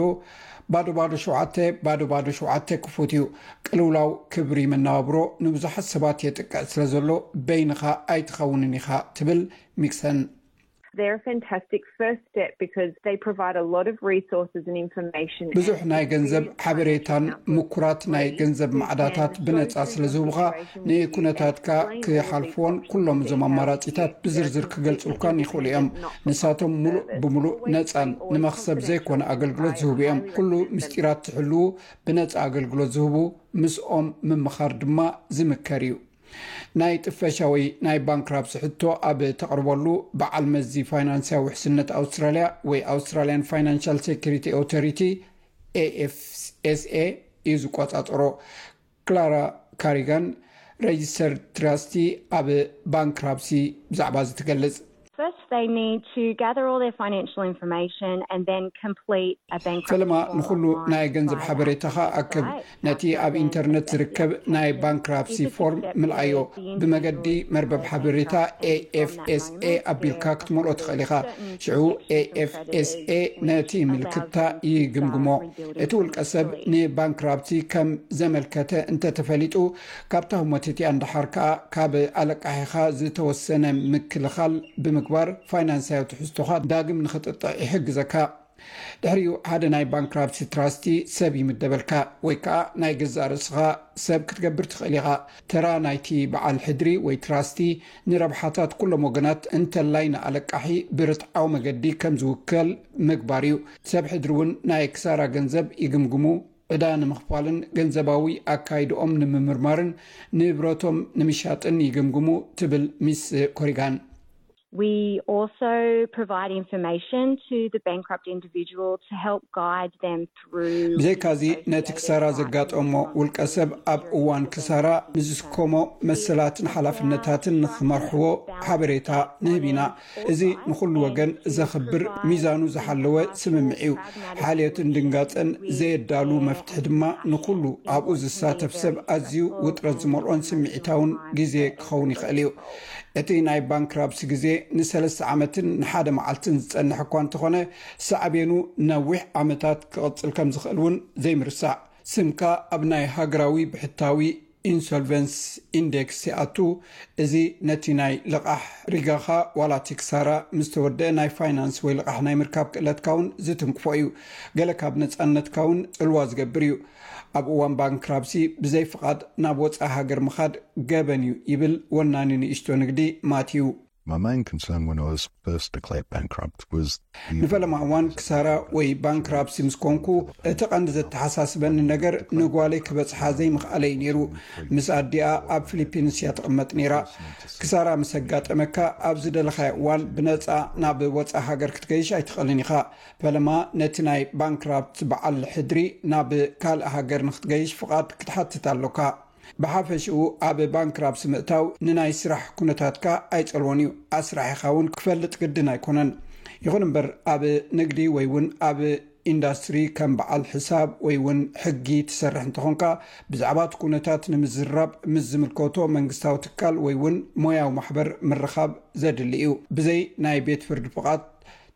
ባዶ ባዶ ሸውዓተ ባዶ ባዶ ሸውዓተ ክፉት እዩ። ቅልውላው ክብሪ መነባብሮ ንብዙሓት ሰባት የጥቅዕ ስለ ዘሎ፣ በይንኻ ኣይትኸውንን ኢኻ፣ ትብል ሚክሰን። They're a fantastic first step because they provide a lot of resources and information. ብዙሕ ናይ ገንዘብ ሓበሬታን ምኩራት ናይ ገንዘብ ማዕዳታት ብነጻ ስለ ዝህቡኻ፣ ንኩነታትካ ክሓልፍዎን ኩሎም እዞም ኣማራጺታት ብዝርዝር ክገልጹልካን ይኽእሉ እዮም። ንሳቶም ሙሉእ ብሙሉእ ነጻን ንመኽሰብ ዘይኮነ ኣገልግሎት ዝህቡ እዮም። ኩሉ ምስጢራት ትሕልዉ ብነጻ ኣገልግሎት ዝህቡ ምስኦም ምምኻር ድማ ዝምከር እዩ። ናይ ጥፈሻ ወይ ናይ ባንክራፕሲ ሕቶ ኣብ ተቕርበሉ፣ በዓል መዚ ፋይናንስያዊ ውሕስነት ኣውስትራልያ ወይ Australian Financial Security Authority፣ ኤኤፍኤስኤ፣ እዩ ዝቆጻጸሮ። ክላራ ካሪጋን፣ ሬጅስተር ትራስቲ፣ ኣብ ባንክራፕሲ ብዛዕባ እዚ ትገልጽ። First, they need to gather all their financial information and then complete a bankruptcy ፈለማ form ንኹሉ online ናይ and ገንዘብ provide ሓበሬታኻ that to the ኣክብ። website. ነቲ ኣብ ኢንተርነት ዝርከብ ናይ ባንክራፕሲ ፎርም ምልኣዮ። ብመገዲ መርበብ ሓበሬታ ኤኤፍኤስኤ ኣቢልካ ክትመልኦ ትኽእል ኢኻ። ሽዑ ኤኤፍኤስኤ ነቲ ምልክታ ይግምግሞ። እቲ ውልቀ ሰብ ንባንክራፕሲ ከም ዘመልከተ እንተተፈሊጡ፣ ካብታ ህሞት እቲኣ ንደሓር ከኣ ካብ ኣለቃሒኻ ዝተወሰነ ምክልኻል ብምግባር፣ ፋይናንሳዊ ትሕዝቶኻ ዳግም ንኽጥጥዕ ይሕግዘካ። ድሕሪኡ ሓደ ናይ ባንክራፕሲ ትራስቲ ሰብ ይምደበልካ፣ ወይ ከኣ ናይ ገዛእ ርእስኻ ሰብ ክትገብር ትኽእል ኢኻ። ተራ ናይቲ በዓል ሕድሪ ወይ ትራስቲ ንረብሓታት ኩሎም ወገናት፣ እንተላይ ንኣለቃሒ ብርትዓዊ መገዲ ከም ዝውከል ምግባር እዩ። ሰብ ሕድሪ እውን ናይ ክሳራ ገንዘብ ይግምግሙ፣ ዕዳ ንምኽፋልን ገንዘባዊ ኣካይድኦም ንምምርማርን ንብረቶም ንምሻጥን ይግምግሙ፣ ትብል ሚስ ኮሪጋን። We also provide information to the bankrupt individual to help guide them through. ብዘይካዚ፣ ነቲ ክሳራ ዘጋጠሞ ውልቀ ሰብ ኣብ እዋን ክሳራ ንዝስከሞ መሰላትን ሓላፍነታትን ንኽመርሕዎ ሓበሬታ ንህብ ኢና። እዚ ንኹሉ ወገን ዘኽብር፣ ሚዛኑ ዝሓለወ ስምምዕ እዩ። ሓልዮትን ድንጋጸን ዘየዳሉ መፍትሒ ድማ ንኹሉ ኣብኡ ዝሳተፍ ሰብ ኣዝዩ ውጥረት ዝመልኦን ስምዒታውን ግዜ ክኸውን ይኽእል እዩ። እቲ ናይ ባንክራፕሲ ግዜ ንሰለስተ ዓመትን ንሓደ መዓልትን ዝጸንሕ እኳ እንተኾነ፣ ሳዕቤኑ ነዊሕ ዓመታት ክቕጽል ከም ዝኽእል እውን ዘይምርሳዕ። ስምካ ኣብ ናይ ሃገራዊ ብሕታዊ ኢንሶልቨንስ ኢንዴክስ ይኣቱ። እዚ ነቲ ናይ ልቓሕ ሪጋኻ ዋላ እቲ ክሳራ ምስ ተወደአ ናይ ፋይናንስ ወይ ልቓሕ ናይ ምርካብ ክእለትካ እውን ዝትንክፎ እዩ። ገለ ካብ ነጻነትካ እውን ጽልዋ ዝገብር እዩ። ኣብ እዋን ባንክራፕሲ ብዘይ ፍቓድ ናብ ወጻኢ ሃገር ምኻድ ገበን እዩ፣ ይብል ወናኒ ንእሽቶ ንግዲ ማቲው። My main concern when I was first declared bankrupt was ንፈለማ እዋን ክሳራ ወይ ባንክራፕሲ ምስ ኮንኩ፣ እቲ ቀንዲ ዘተሓሳስበኒ ነገር ንጓለይ ክበጽሓ ዘይምኽኣለይ ነይሩ። ምስ ኣዲኣ ኣብ ፊሊፒንስ እያ ትቕመጥ ነይራ። ክሳራ ምስ ኣጋጠመካ፣ ኣብ ዝደለኻዮ እዋን ብነጻ ናብ ወጻኢ ሃገር ክትገይሽ ኣይትኽእልን ኢኻ። ፈለማ ነቲ ናይ ባንክራፕት በዓል ሕድሪ ናብ ካልእ ሃገር ንክትገይሽ ፍቓድ ክትሓትት ኣሎካ። ብሓፈሽኡ፣ ኣብ ባንክራፕሲ ምእታው ንናይ ስራሕ ኩነታትካ ኣይጸልዎን እዩ። ኣስራሒኻ እውን ክፈልጥ ግድን ኣይኮነን። ይኹን እምበር፣ ኣብ ንግዲ ወይ እውን ኣብ ኢንዳስትሪ ከም በዓል ሕሳብ ወይ እውን ሕጊ ትሰርሕ እንተኾንካ፣ ብዛዕባ እቲ ኩነታት ንምዝራብ ምስ ዝምልከቶ መንግስታዊ ትካል ወይ እውን ሞያዊ ማሕበር ምርኻብ ዘድሊ እዩ። ብዘይ ናይ ቤት ፍርዲ ፍቓድ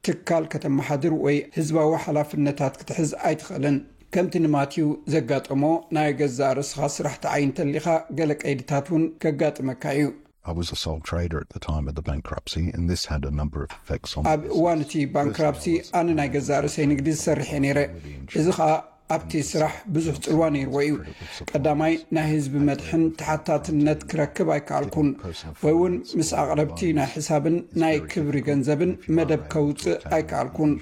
ትካል ከተመሓድር ወይ ህዝባዊ ሓላፍነታት ክትሕዝ ኣይትኽእልን። ከምቲ ንማቲው ዘጋጠሞ፣ ናይ ገዛእ ርእስኻ ስራሕ ትዓይ እንተሊኻ፣ ገለ ቀይድታት እውን ከጋጥመካ እዩ። I was a sole trader at the time of the bankruptcy, and this had a number of effects on ኣብ እዋን እቲ ባንክራፕሲ፣ ኣነ ናይ ገዛእ ርእሰይ ንግዲ ዝሰርሕ እየ ነይረ። እዚ ኸኣ ኣብቲ ስራሕ ብዙሕ ጽልዋ ነይርዎ እዩ። ቀዳማይ፣ ናይ ህዝቢ መድሕን ተሓታትነት ክረክብ ኣይከኣልኩን፣ ወይ እውን ምስ ኣቕረብቲ ናይ ሕሳብን ናይ ክብሪ ገንዘብን መደብ ከውጽእ ኣይከኣልኩን።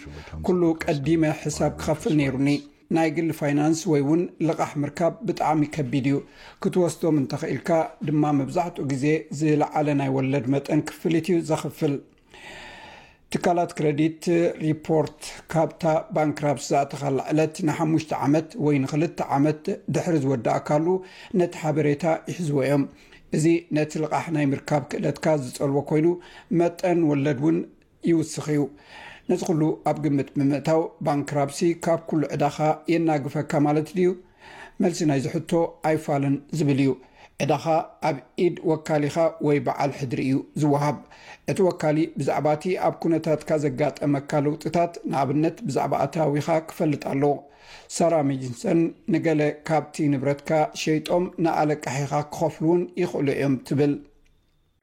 ኩሉ ቀዲመ ሕሳብ ክኸፍል ነይሩኒ። ናይ ግሊ ፋይናንስ ወይ እውን ልቓሕ ምርካብ ብጣዕሚ ከቢድ እዩ። ክትወስዶም እንተኽኢልካ ድማ፣ መብዛሕትኡ ግዜ ዝለዓለ ናይ ወለድ መጠን ክፍሊት እዩ ዘኽፍል። ትካላት ክረዲት ሪፖርት ካብታ ባንክራፕሲ ዝኣተኻላ ዕለት ንሓሙሽተ ዓመት ወይ ንኽልተ ዓመት ድሕሪ ዝወዳእካሉ፣ ነቲ ሓበሬታ ይሕዝዎ እዮም። እዚ ነቲ ልቓሕ ናይ ምርካብ ክእለትካ ዝጸልዎ ኮይኑ፣ መጠን ወለድ እውን ይውስኽ እዩ። ነዚ ኩሉ ኣብ ግምት ብምእታው፣ ባንክራፕሲ ካብ ኩሉ ዕዳኻ የናግፈካ ማለት ድዩ? መልሲ ናይዚ ሕቶ ኣይፋልን ዝብል እዩ። ዕዳኻ ኣብ ኢድ ወካሊኻ ወይ በዓል ሕድሪ እዩ ዝወሃብ። እቲ ወካሊ ብዛዕባ እቲ ኣብ ኩነታትካ ዘጋጠመካ ለውጥታት፣ ንኣብነት ብዛዕባ ኣታዊኻ፣ ክፈልጥ ኣለዎ። ሳራ ሜጅንሰን፣ ንገለ ካብቲ ንብረትካ ሸይጦም ንኣለቃሒኻ ክኸፍሉ እውን ይኽእሉ እዮም ትብል።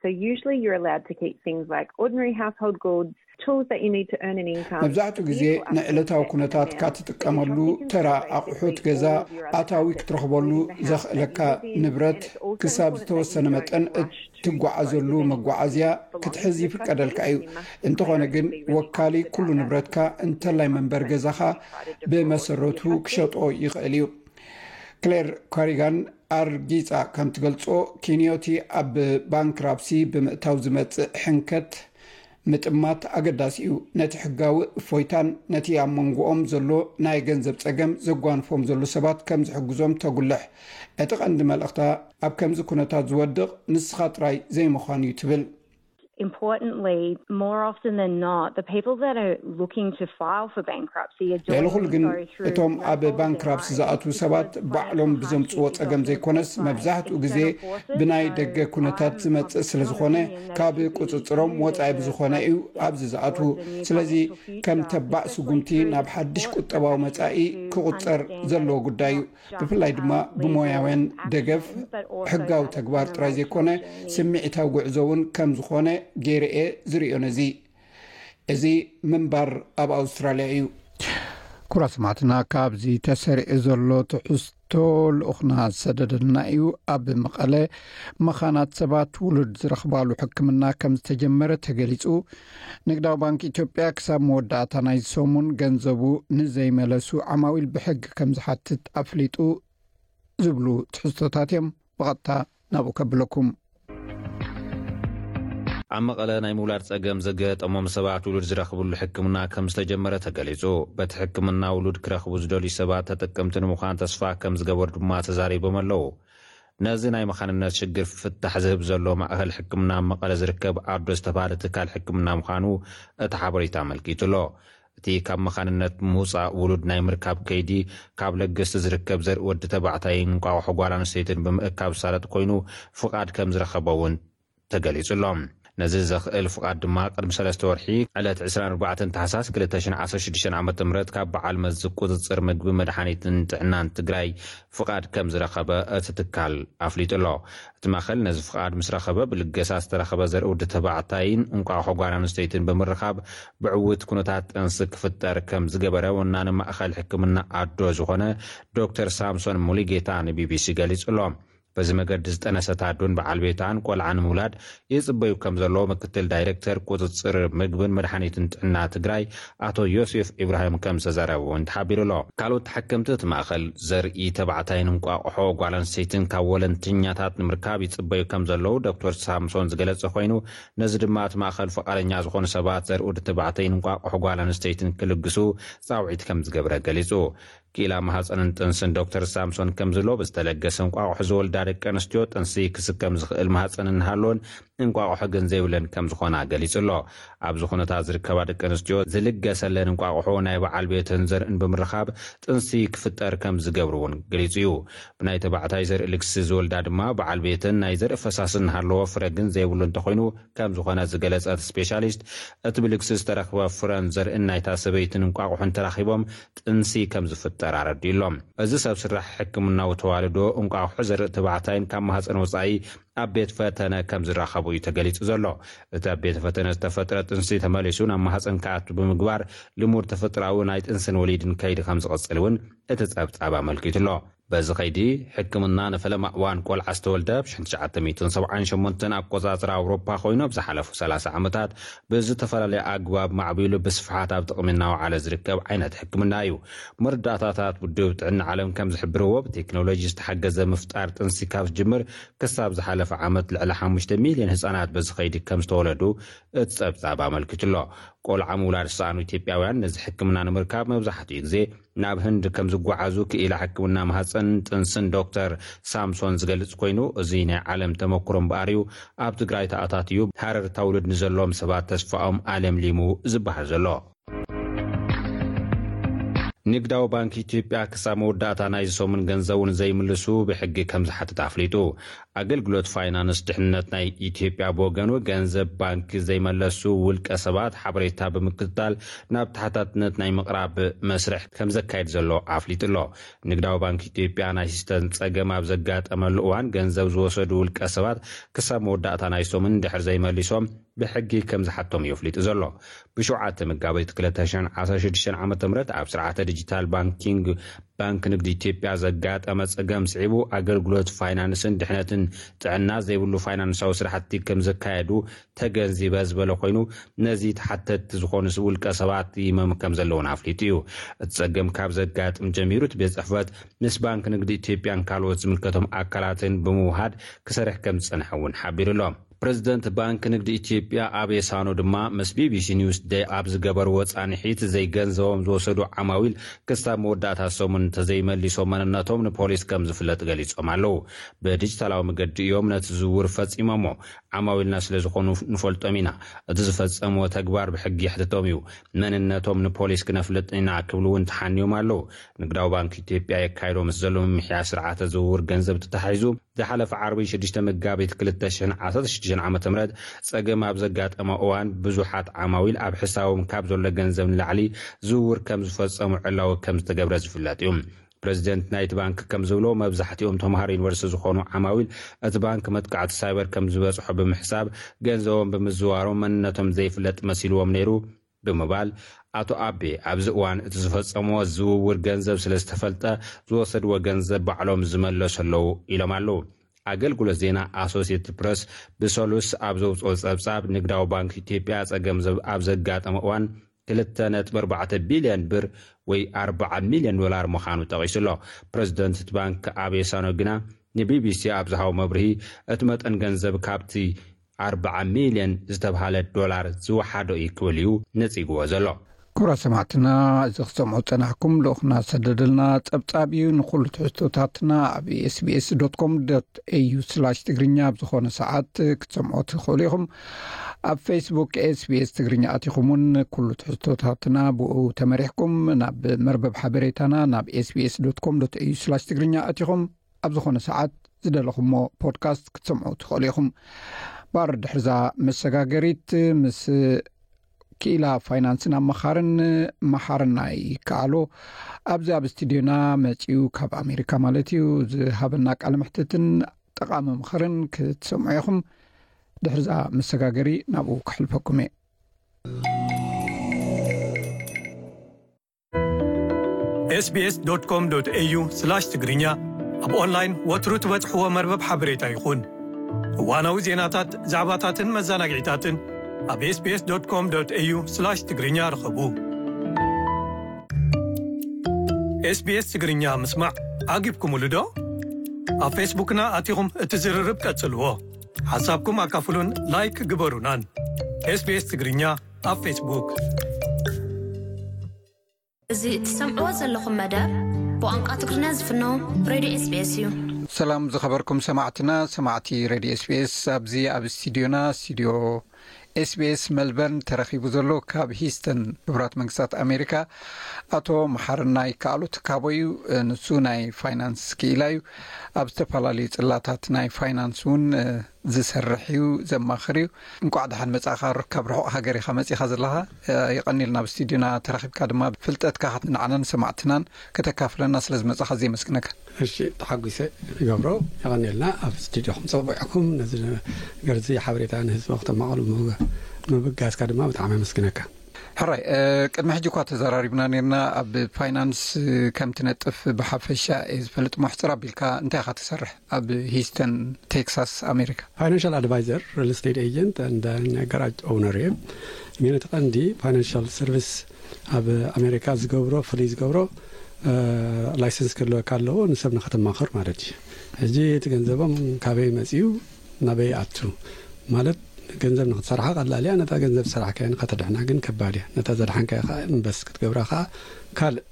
So usually you're allowed to keep things like ordinary household goods, tools that you need to earn an income. መብዛሕትኡ ግዜ ንዕለታዊ ኩነታትካ ትጥቀመሉ ተራ ኣቑሑት ገዛ፣ ኣታዊ ክትረኽበሉ ዘኽእለካ ንብረት፣ ክሳብ ዝተወሰነ መጠን እትጓዓዘሉ መጓዓዝያ ክትሕዝ ይፍቀደልካ እዩ። እንተኾነ ግን፣ ወካሊ ኩሉ ንብረትካ፣ እንተላይ መንበሪ ገዛኻ፣ ብመሰረቱ ክሸጦ ይኽእል እዩ። ክሌር ኮሪጋን ኣርጊጻ ከም ትገልጾ፣ ኪንዮቲ ኣብ ባንክራፕሲ ብምእታው ዝመጽእ ሕንከት ምጥማት ኣገዳሲ እዩ። ነቲ ሕጋዊ እፎይታን ነቲ ኣብ መንጎኦም ዘሎ ናይ ገንዘብ ጸገም ዘጓንፎም ዘሎ ሰባት ከም ዝሕግዞም ተጉልሕ። እቲ ቀንዲ መልእኽታ፣ ኣብ ከምዚ ኩነታት ዝወድቕ ንስኻ ጥራይ ዘይምዃን እዩ ትብል። Importantly, more often than not, the people that are looking to file for bankruptcy are ልዕሊ doing ኩሉ ግን፣ so through እቶም ኣብ ባንክራፕሲ ዝኣትዉ ሰባት ባዕሎም ብዘምጽዎ ጸገም ዘይኮነስ፣ መብዛሕትኡ ግዜ ብናይ ደገ ኩነታት ዝመጽእ ስለ ዝኾነ፣ ካብ ቁጽጽሮም ወጻኢ ብዝኾነ እዩ ኣብዚ ዝኣትዉ። ስለዚ፣ ከም ተባዕ ስጉምቲ ናብ ሓድሽ ቁጠባዊ መጻኢ ክቑጸር ዘለዎ ጉዳይ እዩ። ብፍላይ ድማ ብሞያውያን ደገፍ ሕጋዊ ተግባር ጥራይ ዘይኮነ፣ ስምዒታዊ ጉዕዞ እውን ከም ዝኾነ ገይረ እየ ዝርእዮ። ነዚ እዚ ምንባር ኣብ ኣውስትራልያ እዩ። ኩራ ሰማዕትና፣ ካብዚ ተሰሪዑ ዘሎ ትሕዝቶ ልኡኽና ዝሰደደልና እዩ። ኣብ መቐለ መኻናት ሰባት ውሉድ ዝረኽባሉ ሕክምና ከም ዝተጀመረ ተገሊጹ። ንግዳዊ ባንክ ኢትዮጵያ ክሳብ መወዳእታ ናይዚ ሰሙን ገንዘቡ ንዘይመለሱ ዓማዊል ብሕጊ ከም ዝሓትት ኣፍሊጡ ዝብሉ ትሕዝቶታት እዮም። ብቐጥታ ናብኡ ከብለኩም። ኣብ መቐለ ናይ ምውላድ ጸገም ዘገጠሞም ሰባት ውሉድ ዝረኽብሉ ሕክምና ከም ዝተጀመረ ተገሊጹ። በቲ ሕክምና ውሉድ ክረኽቡ ዝደልዩ ሰባት ተጠቀምቲ ንምዃን ተስፋ ከም ዝገበሩ ድማ ተዛሪቦም ኣለዉ። ነዚ ናይ መኻንነት ሽግር ፍታሕ ዝህብ ዘሎ ማእኸል ሕክምና ኣብ መቐለ ዝርከብ ኣዶ ዝተባህለ ትካል ሕክምና ምዃኑ እቲ ሓበሬታ ኣመልኪቱ ኣሎ። እቲ ካብ መኻንነት ምውጻእ ውሉድ ናይ ምርካብ ከይዲ፣ ካብ ለገስቲ ዝርከብ ዘርኢ ወዲ ተባዕታይን እንቋቑሖ ጓል ኣንስተይትን ብምእካብ ዝሳለጥ ኮይኑ፣ ፍቓድ ከም ዝረኸበ እውን ተገሊጹ ኣሎ። ነዚ ዘኽእል ፍቓድ ድማ ቅድሚ ሰለስተ ወርሒ፣ ዕለት ዕስራን ኣርባዕተን ታሕሳስ ክልተ ሽሕን ዓሰርተ ሽዱሽተን ዓመተ ምህረት፣ ካብ በዓል መዚ ቁጽጽር ምግቢ፣ መድሓኒትን ጥዕናን ትግራይ ፍቓድ ከም ዝረኸበ እቲ ትካል ኣፍሊጡ ኣሎ። እቲ ማእኸል ነዚ ፍቓድ ምስ ረኸበ፣ ብልገሳ ዝተረኸበ ዘርኢ ወዲ ተባዕታይን እንቋቑሖ ጓል ኣንስተይትን ብምርኻብ፣ ብዕዉት ኩነታት ጥንሲ ክፍጠር ከም ዝገበረ ወናኒ ማእኸል ሕክምና ኣዶ ዝኾነ ዶክተር ሳምሶን ሙሉጌታ ንቢቢሲ ገሊጹ ኣሎ። በዚ መገዲ ዝጠነሰት ኣዶን በዓል ቤታን ቆልዓ ንምውላድ ይጽበዩ ከም ዘለዉ ምክትል ዳይሬክተር ቁጽጽር ምግብን መድሓኒትን ጥዕና ትግራይ ኣቶ ዮሴፍ ኢብራሂም ከም ዝተዛረበ እውን ተሓቢሩ ኣሎ። ካልኦት ተሓከምቲ እቲ ማእኸል ዘርኢ ተባዕታይን እንቋቑሖ ጓል ኣንስተይትን ካብ ወለንተኛታት ንምርካብ ይጽበዩ ከም ዘለዉ ዶክተር ሳምሶን ዝገለጸ ኮይኑ፣ ነዚ ድማ እቲ ማእኸል ፍቓደኛ ዝኾኑ ሰባት ዘርኢ ወዲ ተባዕታይን እንቋቑሖ ጓል ኣንስተይትን ክልግሱ ጻውዒት ከም ዝገብረ ገሊጹ። ክኢላ ማህፀንን ጥንስን ዶክተር ሳምሶን ከም ዝብሎ፣ ብዝተለገሰ እንቋቑሖ ዝወልዳ ደቂ ኣንስትዮ ጥንሲ ክስከም ዝኽእል ማህፀን እናሃለወን እንቋቑሖ ግን ዘይብለን ከም ዝኾና ገሊጹ ኣሎ። ኣብዚ ኩነታት ዝርከባ ደቂ ኣንስትዮ ዝልገሰለን እንቋቑሖ ናይ በዓል ቤተን ዘርእን ብምርኻብ ጥንሲ ክፍጠር ከም ዝገብሩ እውን ገሊጹ እዩ። ብናይ ተባዕታይ ዘርኢ ልግሲ ዝወልዳ ድማ በዓል ቤተን ናይ ዘርኢ ፈሳሲ እናሃለዎ ፍረ ግን ዘይብሉ እንተኾይኑ ከም ዝኾነ ዝገለጸት ስፔሻሊስት፣ እቲ ብልግሲ ዝተረኽበ ፍረን ዘርእን ናይታ ሰበይትን እንቋቑሖን ተራኺቦም ጥንሲ ከም ዝፍጠር ኣረዲኡ ኣሎ። እዚ ሰብ ስራሕ ሕክምናዊ ተዋልዶ እንቋቑሖ ዘርኢ ተባዕታይን ካብ ማህፀን ወፃኢ ኣብ ቤት ፈተነ ከም ዝራኸቡ እዩ ተገሊጹ ዘሎ። እቲ ኣብ ቤት ፈተነ ዝተፈጥረ ጥንሲ ተመሊሱ ናብ ማህፀን ክኣቱ ብምግባር ልሙድ ተፈጥሮኣዊ ናይ ጥንስን ወሊድን ከይዲ ከም ዝቕጽል እውን እቲ ጸብጻብ ኣመልኪቱ ኣሎ። በዚ ከይዲ ሕክምና ንፈለማ እዋን ቆልዓ ዝተወልደ ብ ሽሕን ትሽዓተ ሚእትን ሰብዓን ሸሞንተን ኣቆጻጽራ ኣውሮፓ ኮይኑ፣ ኣብ ዝሓለፉ ሰላሳ ዓመታት ብዝተፈላለየ ኣግባብ ማዕቢሉ ብስፍሓት ኣብ ጥቕሚ እናወዓለ ዝርከብ ዓይነት ሕክምና እዩ። መረዳእታታት ውድብ ጥዕና ዓለም ከም ዝሕብርዎ፣ ብቴክኖሎጂ ዝተሓገዘ ምፍጣር ጥንሲ ካብ ዝጅምር ክሳብ ዝሓለፈ ዓመት ልዕሊ ሓሙሽተ ሚልዮን ህጻናት በዚ ከይዲ ከም ዝተወለዱ እቲ ጸብጻብ ኣመልኪቱ ኣሎ። ቆልዓ ምውላድ ዝሰኣኑ ኢትዮጵያውያን ነዚ ሕክምና ንምርካብ መብዛሕትኡ ግዜ ናብ ህንድ ከም ዝጓዓዙ ክኢላ ሕክምና ማህፀን ጥንስን ዶክተር ሳምሶን ዝገልጽ ኮይኑ፣ እዚ ናይ ዓለም ተመክሮ እምበኣር እዩ ኣብ ትግራይ ተኣታትዩ ሃረርታ ውሉድ ንዘለዎም ሰባት ተስፋኦም ኣለምሊሙ ዝበሃል ዘሎ። ንግዳዊ ባንክ ኢትዮጵያ ክሳብ መወዳእታ ናይዚ ሰሙን ገንዘቡ ንዘይምልሱ ብሕጊ ከም ዝሓትት ኣፍሊጡ። ኣገልግሎት ፋይናንስ ድሕንነት ናይ ኢትዮጵያ ብወገኑ፣ ገንዘብ ባንክ ዘይመለሱ ውልቀ ሰባት ሓበሬታ ብምክትታል ናብ ተሓታትነት ናይ ምቕራብ መስርሕ ከም ዘካየድ ዘሎ ኣፍሊጡ ኣሎ። ንግዳዊ ባንክ ኢትዮጵያ ናይ ሲስተም ጸገም ኣብ ዘጋጠመሉ እዋን፣ ገንዘብ ዝወሰዱ ውልቀ ሰባት ክሳብ መወዳእታ ናይ ሰሙን ድሕር ዘይመሊሶም ብሕጊ ከም ዝሓቶም እዩ ኣፍሊጡ ዘሎ። ብሸውዓተ መጋቢት ክልተ ሽሕን ዓሰርተ ሽዱሽተን ዓመተ ምህረት ኣብ ስርዓተ ዲጂታል ባንኪንግ ባንክ ንግዲ ኢትዮጵያ ዘጋጠመ ጸገም ስዒቡ፣ ኣገልግሎት ፋይናንስን ድሕነትን ጥዕና ዘይብሉ ፋይናንሳዊ ስራሕቲ ከም ዘካየዱ ተገንዚበ ዝበለ ኮይኑ፣ ነዚ ተሓተትቲ ዝኾኑ ውልቀ ሰባት ይመም ከም ዘለውን ኣፍሊጡ እዩ። እቲ ጸገም ካብ ዘጋጥም ጀሚሩ፣ እቲ ቤት ጽሕፈት ምስ ባንክ ንግዲ ኢትዮጵያን ካልኦት ዝምልከቶም ኣካላትን ብምውሃድ ክሰርሕ ከም ዝጸንሐ እውን ሓቢሩ ኣሎ። ፕረዚደንት ባንክ ንግዲ ኢትዮጵያ ኣቤ ሳኖ ድማ ምስ ቢቢሲ ኒውስ ደይ ኣብ ዝገበርዎ ጻንሒት፣ ዘይገንዘቦም ዝወሰዱ ዓማዊል ክሳብ መወዳእታ ሰሙን እንተዘይመሊሶም፣ መንነቶም ንፖሊስ ከም ዝፍለጥ ገሊጾም ኣለዉ። ብዲጂታላዊ መገዲ እዮም ነቲ ዝውውር ፈጺሞሞ። ዓማዊልና ስለ ዝኾኑ ንፈልጦም ኢና። እቲ ዝፈጸምዎ ተግባር ብሕጊ የሕትቶም እዩ። መንነቶም ንፖሊስ ክነፍልጥ ኢና ክብሉ እውን ተሓንዮም ኣለዉ። ንግዳዊ ባንክ ኢትዮጵያ የካይዶ ምስ ዘሎ ምምሕያሽ ስርዓተ ዝውውር ገንዘብ ተታሒዙ፣ ዝሓለፈ ዓርቢ ሽዱሽተ መጋቢት ክልተ ሽሕን ዓሰርተ ሽዱሽተን ዓመተ ምህረት ጸገም ኣብ ዘጋጠመ እዋን፣ ብዙሓት ዓማዊል ኣብ ሕሳቦም ካብ ዘሎ ገንዘብ ንላዕሊ ዝውውር ከም ዝፈጸሙ ዕላዊ ከም ዝተገብረ ዝፍለጥ እዩ። ፕረዚደንት ናይቲ ባንክ ከም ዝብሎ፣ መብዛሕትኦም ተምሃሮ ዩኒቨርሲቲ ዝኾኑ ዓማዊል፣ እቲ ባንክ መጥቃዕቲ ሳይበር ከም ዝበጽሖ ብምሕሳብ፣ ገንዘቦም ብምዝዋሮም መንነቶም ዘይፍለጥ መሲልዎም ነይሩ ብምባል፣ ኣቶ ኣቤ ኣብዚ እዋን እቲ ዝፈጸምዎ ዝውውር ገንዘብ ስለ ዝተፈልጠ፣ ዝወሰድዎ ገንዘብ ባዕሎም ዝመለሱ ኣለዉ ኢሎም ኣለዉ። ኣገልግሎት ዜና ኣሶሲየትድ ፕረስ ብሰሉስ ኣብ ዘውፅኦ ጸብጻብ፣ ንግዳዊ ባንክ ኢትዮጵያ ጸገም ዘብ-፣ ኣብ ዘጋጠመ እዋን ክልተ ነጥቢ ኣርባዕተ ቢልዮን ብር ወይ ኣርባዓ ሚልዮን ዶላር ምዃኑ ጠቒሱ ኣሎ። ፕረዚደንት እቲ ባንክ ኣቤ ሳኖ ግና ንቢቢሲ ኣብ ዝሃቦ መብርሂ፣ እቲ መጠን ገንዘብ ካብቲ ኣርባዓ ሚልዮን ዝተብሃለ ዶላር ዝወሓዶ እዩ ክብል እዩ ነጺግዎ ዘሎ። ክቡራት ሰማዕትና፣ እዚ ክትሰምዑ ዝጸናሕኩም ልኡኽና ዝሰደደልና ጸብጻብ እዩ። ንኹሉ ትሕዝቶታትና ኣብ ኤስቢኤስ ዶት ኮም ዶት ኤዩ ስላሽ ትግርኛ ኣብ ዝኾነ ሰዓት ክትሰምዑ ትኽእሉ ኢኹም። ኣብ ፌስቡክ ኤስቢኤስ ትግርኛ ኣቲኹም እውን ኩሉ ትሕዝቶታትና ብኡ ተመሪሕኩም ናብ መርበብ ሓበሬታና ናብ ኤስቢኤስ ዶት ኮም ዶት ኤዩ ስላሽ ትግርኛ ኣቲኹም ኣብ ዝኾነ ሰዓት ዝደለኹሞ ፖድካስት ክትሰምዑ ትኽእሉ ኢኹም። ባር ድሕርዛ መሰጋገሪት ምስ ክኢላ ፋይናንስን ኣመኻርን መሓርና ይከኣሎ ኣብዚ ኣብ ስቱድዮና መጺኡ፣ ካብ ኣሜሪካ ማለት እዩ፣ ዝሃበና ቃለ መሕትትን ጠቓሚ ምኽርን ክትሰምዑ ኢኹም። ድሕርዛ መሰጋገሪ ናብኡ ከሕልፈኩም እየ። ኤስቢኤስ ዶት ኮም ዶት ኤዩ ስላሽ ትግርኛ ኣብ ኦንላይን ወትሩ ትበጽሕዎ መርበብ ሓበሬታ ይኹን። እዋናዊ ዜናታት፣ ዛዕባታትን መዘናግዒታትን ኣብ ኤስቢኤስ ዶት ኮም ዶት ኤዩ ስላሽ ትግርኛ ርኸቡ። ኤስቢኤስ ትግርኛ ምስማዕ ዓጊብኩምሉ ዶ? ኣብ ፌስቡክና ኣቲኹም እቲ ዝርርብ ቀጽልዎ። ሓሳብኩም ኣካፍሉን ላይክ ግበሩናን። ኤስቢኤስ ትግርኛ ኣብ ፌስቡክ። እዚ እትሰምዕዎ ዘለኹም መደብ ብቋንቋ ትግርኛ ዝፍኖ ሬድዮ ኤስቢኤስ እዩ። ሰላም ዝኸበርኩም ሰማዕትና፣ ሰማዕቲ ሬድዮ ኤስቢኤስ፣ ኣብዚ ኣብ ስቱድዮና፣ ስቱድዮ ኤስቢኤስ መልበርን ተረኺቡ ዘሎ ካብ ሂስተን ሕቡራት መንግስታት ኣሜሪካ ኣቶ መሓርና ይከኣሉ ትካቦ እዩ። ንሱ ናይ ፋይናንስ ክኢላ እዩ። ኣብ ዝተፈላለዩ ጽላታት ናይ ፋይናንስ እውን ዝሰርሕ እዩ፣ ዘማኽር እዩ። እንቋዕ ደሓን መጻእካ። ካብ ርሑቕ ሃገር ኢኻ መጺኻ ዘለኻ። የቐንየልና ኣብ ስቱድዮና ተረኺብካ ድማ ፍልጠትካ ንዓናን ሰማዕትናን ከተካፍለና ስለ ዝመጻኻ ኣዝየ የመስግነካ። እሺ፣ ተሓጒሰ ይገብሮ። የቐንየልና ኣብ ስቱድዮኹም ጸዊዕኩም ነዚ ነገር እዚ ሓበሬታ ንህዝቢ ክተማቐሉ ምብ-፣ ምብጋስካ ድማ ብጣዕሚ ኣመስግነካ። ሕራይ፣ እ፣ ቅድሚ ሕጂ እኳ ተዘራሪብና ነርና። ኣብ ፋይናንስ ከም ትነጥፍ ብሓፈሻ እየ ዝፈልጥ። ሞሕጽር ኣቢልካ እንታይ ኢኻ ትሰርሕ ኣብ ሂስተን ቴክሳስ ኣሜሪካ? ፋይናንሻል ኣድቫይዘር፣ ሪል ስቴት ኤጀንት፣ እንደ ጋራጅ ኦውነር እየ። ግን እቲ ቀንዲ ፋይናንሻል ሰርቪስ ኣብ ኣሜሪካ ዝገብሮ፣ ፍልይ ዝገብሮ፣ እ፣ ላይሰንስ ክህልወካ ኣለዎ፣ ንሰብ ንኸተማኽር ማለት እዩ። ሕጂ እቲ ገንዘቦም ካበይ መጺኡ፣ ናበይ ኣቱ ማለት፣ ገንዘብ ንክትሰርሓ ቀላል እያ። ነታ ገንዘብ ዝሰራሕካያ ከተድሕና ግን ከባድ እያ። ነታ ዘድሓንካያ ከዓ ኢንቨስት ክትገብራ ከዓ ካልእ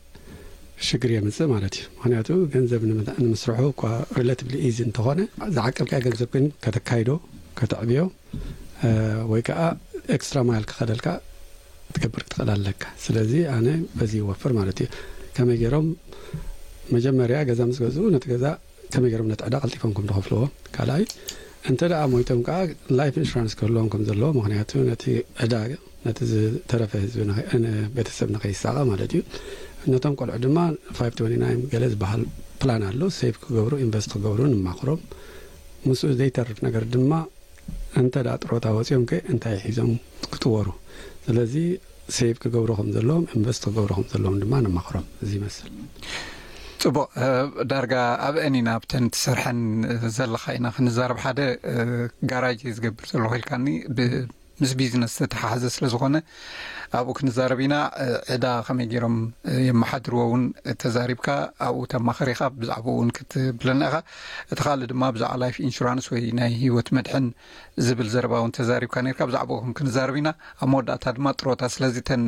ሽግር የምፅእ ማለት እዩ። ምክንያቱ ገንዘብ ንምስርሑ እኳ ሪላቲቭሊ ኢዚ እንተኾነ፣ ዝዓቀብካያ ገንዘብ ግን ከተካይዶ፣ ከተዕብዮ፣ ወይ ከዓ ኤክስትራ ማይል ክኸደልካ ክትገብር ክትኽእል ኣለካ። ስለዚ ኣነ በዚ ይወፍር ማለት እዩ። ከመይ ገይሮም መጀመርያ ገዛ ምስ ገዝኡ፣ ነቲ ገዛ ከመይ ገይሮም ነቲ ዕዳ ቀልጢፎም ከም ዝኸፍልዎ፣ ካልኣይ እንተ ደኣ ሞይቶም ከዓ ላይፍ ኢንሹራንስ ክህልዎም ከም ዘለዎ፣ ምክንያቱ ነቲ ዕዳ፣ ነቲ ዝተረፈ ህዝቢ ንኸ- ን- ቤተሰብ ንኸይሳቐ ማለት እዩ። ነቶም ቆልዑ ድማ ፋይቭ ትወንቲ ናይን ገለ ዝበሃል ፕላን ኣሎ። ሴቭ ክገብሩ፣ ኢንቨስት ክገብሩ ንማኽሮም። ምስኡ ዘይተርፍ ነገር ድማ እንተ ደኣ ጥሮታ ወፂኦም ከ እንታይ ሒዞም ክጥወሩ? ስለዚ ሴቭ ክገብሩ ከም ዘለዎም፣ ኢንቨስት ክገብሩ ከም ዘለዎም ድማ ነማኽሮም። እዚ ይመስል። ጽቡቕ። ዳርጋ ኣብ እኒና ኣብተን ትሰርሐን ዘለኻ ኢና ክንዛረብ። ሓደ ጋራጅ ዝገብር ዘለኹ ኢልካኒ፣ ምስ ቢዝነስ ዝተተሓሓዘ ስለ ዝኾነ ኣብኡ ክንዛረብ ኢና። ዕዳ ከመይ ገይሮም የመሓድርዎ እውን ተዛሪብካ፣ ኣብኡ ተማኸሪኻ ብዛዕባኡ እውን ክትብለና ኢኻ። እቲ ካልእ ድማ ብዛዕባ ላይፍ ኢንሹራንስ ወይ ናይ ህይወት መድሕን ዝብል ዘረባ እውን ተዛሪብካ ነርካ። ብዛዕባኡ ክንዛረብ ኢና። ኣብ መወዳእታ ድማ ጥሮታ። ስለዚ እተን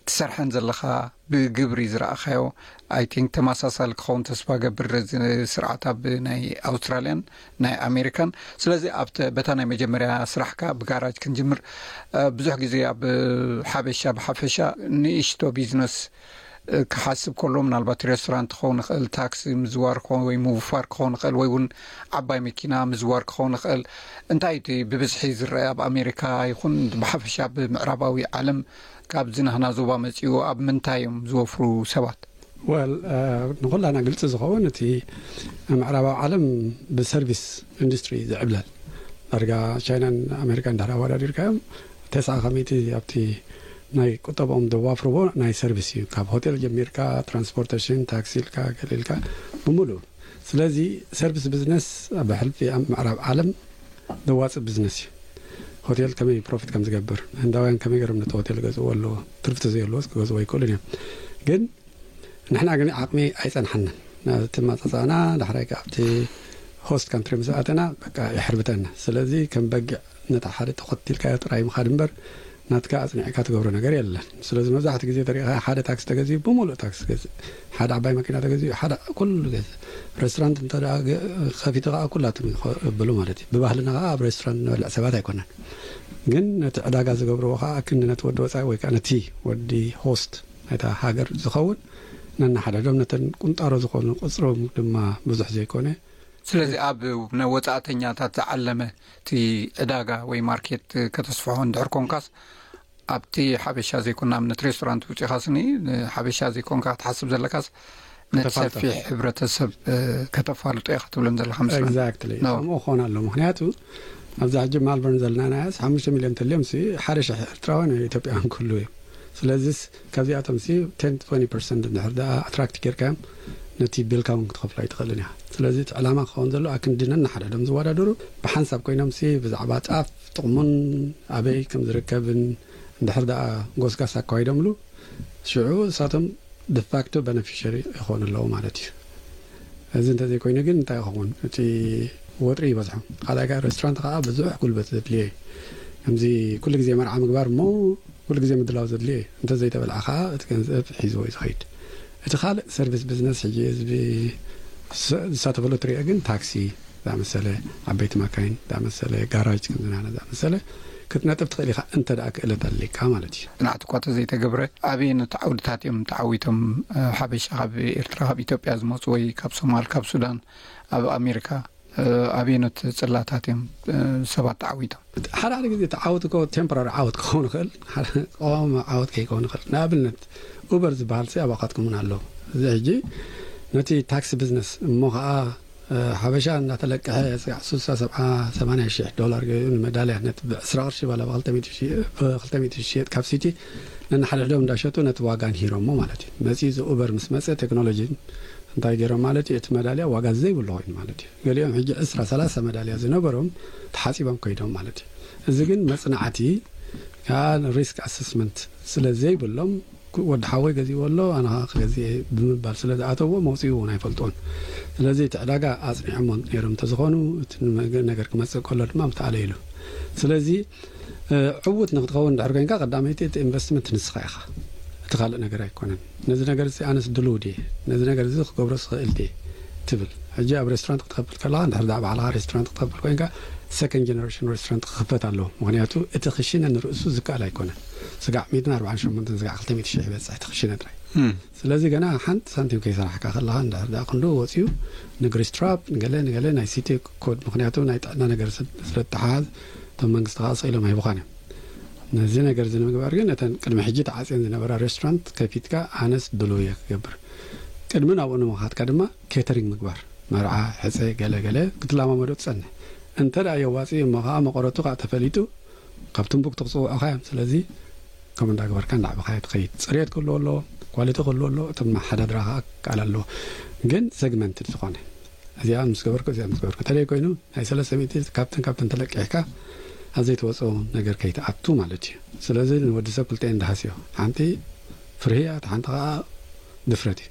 ትሰርሐን ዘለኻ ብግብሪ ዝረኣኻዮ፣ ኣይ ቲንክ ተመሳሳሊ ክኸውን ተስፋ ገብር፣ እዚ ስርዓት ኣብ ናይ ኣውስትራልያን ናይ ኣሜሪካን። ስለዚ ኣብተ በታ ናይ መጀመርያ ስራሕካ ብጋራጅ ክንጅምር። ብዙሕ ግዜ ኣብ ሓበሻ ብሓፈሻ ንእሽቶ ቢዝነስ ክሓስብ ከሎ፣ ምናልባት ሬስቶራንት ክኸውን ይኽእል፣ ታክሲ ምዝዋር ክኸውን ወይ ምውፋር ክኸውን ይኽእል፣ ወይ እውን ዓባይ መኪና ምዝዋር ክኸውን ይኽእል። እንታይ እቲ ብብዝሒ ዝረአ ኣብ ኣሜሪካ ይኹን ብሓፈሻ ኣብ ምዕራባዊ ዓለም ካብዚ ናህና ዞባ መጺኡ ኣብ ምንታይ እዮም ዝወፍሩ ሰባት? ወል ንኩላና ግልፂ ዝኸውን፣ እቲ ምዕራባዊ ዓለም ብሰርቪስ ኢንዱስትሪ ዝዕብለል። ዳርጋ ቻይናን ኣሜሪካን እንድሕር ኣወዳዲርካዮም፣ ተስዓ ከመይቲ ኣብቲ ናይ ቁጠባኦም ዘዋፍርዎ ናይ ሰርቪስ እዩ። ካብ ሆቴል ጀሚርካ፣ ትራንስፖርቴሽን፣ ታክሲ ኢልካ፣ ገለ ኢልካ፣ ብምሉእ። ስለዚ ሰርቪስ ቢዝነስ ኣብ ሕልፊ ኣብ ምዕራብ ዓለም ዘዋፅእ ቢዝነስ እዩ። ሆቴል ከመይ ፕሮፊት ከም ዝገብር፣ ህንዳውያን ከመይ ገይሮም ነቲ ሆቴል ገዝእዎ ኣለዎ፣ ትርፊ ተዘይህልዎስ ክገዝእዎ ኣይክእሉን እዮም። ግን ንሕና ግን ዓቕሚ ኣይጸንሓናን። ናብቲ ማጻጻና ዳሕራይ ከኣ ኣብቲ ሆስት ካንትሪ ምስ ኣተና በቃ የሕርብተና። ስለዚ ከም በጊዕ ነታ ሓደ ተኸቲልካዮ ጥራይ ምኻድ እምበር ናትካ ኣጽኒዕካ ትገብሮ ነገር የለን። ስለዚ መብዛሕትኡ ግዜ ተሪእኻ ሓደ ታክሲ ተገዚኡ ብምሉእ ታክሲ ገዝእ፣ ሓደ ዓባይ መኪና ተገዚኡ ሓደ ኩሉ ገዝእ፣ ሬስቶራንት እንተ ደኣ ገ- ከፊቱ ከኣ ኩላቶም ይኸብሉ ማለት እዩ። ብባህልና ከኣ ኣብ ሬስቶራንት ንበልዕ ሰባት ኣይኮነን። ግን ነቲ ዕዳጋ ዝገብርዎ ከኣ ክንዲ ነቲ ወዲ ወጻኢ ወይ ከኣ ነቲ ወዲ ሆስት ናይታ ሃገር ዝኸውን ነናሓደዶም ነተን ቁንጣሮ ዝኾኑ ቁጽሮም ድማ ብዙሕ ዘይኮነ። ስለዚ ኣብ ናይ ወጻእተኛታት ዝዓለመ እቲ ዕዳጋ ወይ ማርኬት ከተስፍሖ እንድሕር ኮንካስ ኣብቲ ሓበሻ ዘይኮን ንኣብነት ሬስቶራንት ውጺኻ ስኒ ሓበሻ ዘይኮንካ ክትሓስብ ዘለካስ ነቲ ከተፋልጦ። ሰፊሕ ሕብረተሰብ ከተፋልጦ ኢኻ ትብለን ዘለካ ምስለኒ። ኤግዛክትሊ። No። ከምኡ ክኾን ኣሎ። ምክንያቱ ኣብዛ ሕጂ ማልበርን ዘለና ናያስ ሓሙሽተ ሚልዮን ተልዮም ሲ ሓደ ሽሕ ኤርትራውያን ኢትዮጵያውያን ክህልዉ እዮም። ስለዚስ ካብዚኣቶም ሲ ቴን ትወንቲ ፐርሰንት እንድሕር ደኣ ኣትራክት ጌርካዮም ነቲ ቢልካ እውን ክትኸፍሎ ኣይትኽእልን ኢኻ። ስለዚ እቲ ዕላማ ክኸውን ዘሎ ኣክንዲ ነናሓደዶም ዝወዳደሩ ብሓንሳብ ኮይኖም ሲ ብዛዕባ ጣፍ ጥቕሙን ኣበይ ከም ዝርከብን እንድሕር ደኣ ጎስጋስ ኣካይዶምሉ ሽዑ እሳቶም ዲፋክቶ በነፊሸሪ ይኾኑ ኣለዉ ማለት እዩ። እዚ እንተዘይኮይኑ ግን እንታይ ይኸውን? እቲ ወጥሪ ይበዝሖ። ካልኣይ ከዓ ሬስቶራንት ከዓ ብዙሕ ጉልበት ዘድልዮ እዩ። ከምዚ ኩሉ ግዜ መርዓ ምግባር እሞ ኩሉ ግዜ ምድላው ዘድልዮ እዩ። እንተዘይተበልዓ ከዓ እቲ ገንዘብ ሒዝዎ እዩ ዝኸይድ። እቲ ካልእ ሰርቪስ ቢዝነስ ሕጂ ህዝቢ ዝሰ- ዝሳተፈሉ ትሪኦ ግን ታክሲ ዝኣመሰለ፣ ዓበይቲ ማካይን ዝኣመሰለ፣ ጋራጅ ከምዚ ናህና ዝኣመሰለ ክትነጥፍ ትኽእል ኢኻ እንተ ደኣ ክእለት ኣሊካ ማለት እዩ። ጽንዓት እኳ ተዘይተገብረ ኣበየኖት ዓውድታት እዮም ተዓዊቶም? ሓበሻ ካብ ኤርትራ ካብ ኢትዮጵያ ዝመፁ ወይ ካብ ሶማል ካብ ሱዳን ኣብ ኣሜሪካ ኣበየኖት ጽላታት እዮም ሰባት ተዓዊቶም? ሓደ ሓደ ግዜ እቲ ዓወት እኮ ቴምፖራሪ ዓወት ክኸውን ይኽእል፣ ቀዋሚ ዓወት ከይከውን ይኽእል። ንኣብነት ኡበር ዝበሃል ሲ ኣባኻትኩም እውን ኣሎ። እዚ ሕጂ ነቲ ታክሲ ቢዝነስ እሞ ከዓ ሓበሻ እንዳተለቀሐ ስጋዕ ሱሳ ሰብዓ ሰማንያ ሽሕ ዶላር ገይሩ ንመዳልያ ነቲ ብዕስራ ቅርሺ ባላ ብክልተ ሚእቲ ዝሽየጥ ካብ ሲቲ ነንሓድሕዶም እንዳሸጡ ነቲ ዋጋ ንሂሮሞ ማለት እዩ። መፂኡ እዚ ኡበር ምስ መፀ ቴክኖሎጂ እንታይ ገይሮም ማለት እዩ፣ እቲ መዳልያ ዋጋ ዘይብሉ ኮይኑ ማለት እዩ። ገሊኦም ሕጂ ዕስራ ሰላሳ መዳልያ ዝነበሮም ተሓፂቦም ከይዶም ማለት እዩ። እዚ ግን መፅናዕቲ ሪስክ ኣሰስመንት ስለ ዘይብሎም ወዲ ሓወይ ገዚእዎ ኣሎ፣ ኣነ ከዓ ክገዝእ እየ ብምባል ስለ ዝኣተዎ መውፅኡ እውን ኣይፈልጦን። ስለዚ እቲ ዕዳጋ ኣፅኒዖሞ ነይሮም እንተዝኾኑ፣ እቲ ንመገ-፣ ነገር ክመፅእ ከሎ ድማ ምተኣለ ኢሉ። ስለዚ፣ እ፣ ዕዉት ንክትኸውን እንድሕር ኮይንካ፣ ቀዳመይቲ እቲ ኢንቨስትመንት ንስኻ ኢኻ። እቲ ካልእ ነገር ኣይኮነን። ነዚ ነገር እዚ ኣነስ ድልው ድየ? ነዚ ነገር እዚ ክገብሮ ዝኽእል ድየ? ትብል። ሕጂ ኣብ ሬስቶራንት ክትኸፍል ከለኻ፣ እንድሕር ደኣ ባዕልኻ ሬስቶራንት ክትኸፍል ኮይንካ፣ ሰከንድ ጀነሬሽን ሬስቶራንት ክኽፈት ኣለዎ። ምኽንያቱ እቲ ክሽነ ንርእሱ ዝከኣል ኣይኮነን። ስጋዕ ሚእትን ኣርባዓን ሸሞንተን፣ ስጋዕ ክልተ ሚእቲ ሺሕ ይበጽሕ እቲ ክሽነ ጥራይ። እም። ስለዚ ገና ሓንቲ ሳንቲም ከይሰራሕካ ከለኻ፣ እንድሕር ደኣ ክንዱ ወጺኡ ንግሪስትራፕ፣ ንገለ፣ ንገለ ናይ ሲቲ ኮድ፣ ምኽንያቱ ናይ ጥዕና ነገር ስለ፣ ስለ እተሓዝ፣ እቶም መንግስቲ ከዓ ስኢሎም ኣይቡኻን እዮም። ነዚ ነገር እዚ ንምግባር ግን፣ እተን ቅድሚ ሕጂ ተዓጽየን ዝነበራ ሬስቶራንት ከፊትካ፣ ኣነስ ድሉው እየ ክገብር። ቅድሚ ናብኡ ንምኻድካ ድማ ኬተሪንግ ምግባር፣ መርዓ፣ ሕጸ፣ ገለ ገለ ክትለማመዶ ትጸንሕ። እንተ ደኣ የዋጽእ እሞ ኸዓ መቐረቱ ኸዓ ተፈሊጡ፣ ካብ ትምቡክቱ ክጽውዑኻ እዮም። ስለዚ ከምኡ እንዳገበርካ እንዳዕበኻዮ ትኸይድ። ጽሬት ክህልዎ ኣለዎ፣ ኳሊቲ ክህልዎ ኣለዎ፣ እቲ መሓዳድራ ኸዓ ክከኣል ኣለዎ። ግን ሰግመንትድ ዝኾነ፣ እዚኣ ምስ ገበርኩ፣ እዚኣ ምስ ገበርኩ። እንተደይ ኮይኑ፣ ናይ ሰለስተ ሚእቲ ካብተን፣ ካብተን ተለቂሕካ፣ ኣብ ዘይትወጾ ነገር ከይትኣቱ ማለት እዩ። ስለዚ ንወዲ ሰብ ክልቲኤን ደሃስዮ። ሓንቲ ፍርሂ እያ፣ እታ ሓንቲ ኸዓ ድፍረት እዩ።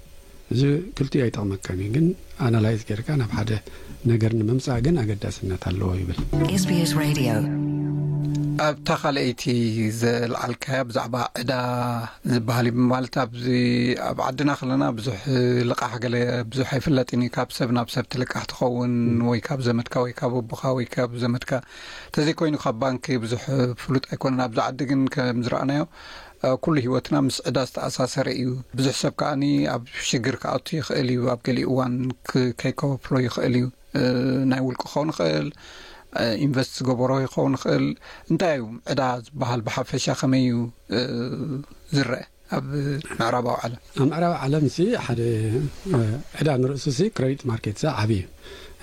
እዚ ክልቲኡ ኣይጠቕመካን እዩ፣ ግን ኣናላይዝ ጌርካ ናብ ሓደ ነገር ንምምጻእ ግን ኣገዳስነት ኣለዎ ይብል። ኤስ ቢ ኤስ ሬድዮ። ኣብታ ካልኣይቲ ዘልዓልካያ ብዛዕባ ዕዳ ዝበሃል እዩ፣ ማለት ኣብዚ ኣብ ዓድና ከለና ብዙሕ ልቃሕ ገለ ብዙሕ ኣይፍለጥን እዩ። ካብ ሰብ ናብ ሰብ ትልቃሕ ትኸውን፣ ወይ ካብ ዘመድካ ወይ ካብ ኣቦኻ ወይ ካብ ዘመድካ፣ ተዘይኮይኑ ካብ ባንክ ብዙሕ ፍሉጥ ኣይኮነን። ኣብዚ ዓዲ ግን ከም ዝረኣናዮ፣ እ፣ ኩሉ ህይወትና ምስ ዕዳ ዝተኣሳሰረ እዩ። ብዙሕ ሰብ ከኣኒ ኣብ ሽግር ክኣቱ ይኽእል እዩ። ኣብ ገሊኡ እዋን ክ-፣ ከይከፍሎ ይኽእል እዩ። እ፣ ናይ ውልቂ ክኸውን ይኽእል፣ እ፣ ኢንቨስት ዝገበሮ ይኸውን ይኽእል። እንታይ እዩ ዕዳ ዝበሃል ብሓፈሻ ከመይ እዩ፣ እ፣ ዝረአ ኣብ ምዕራባዊ ዓለም? ኣብ ምዕራብ ዓለም ሲ ሓደ፣ እ፣ ዕዳ ንርእሱ ሲ ክሬዲት ማርኬት ሲ ዓቢ እዩ።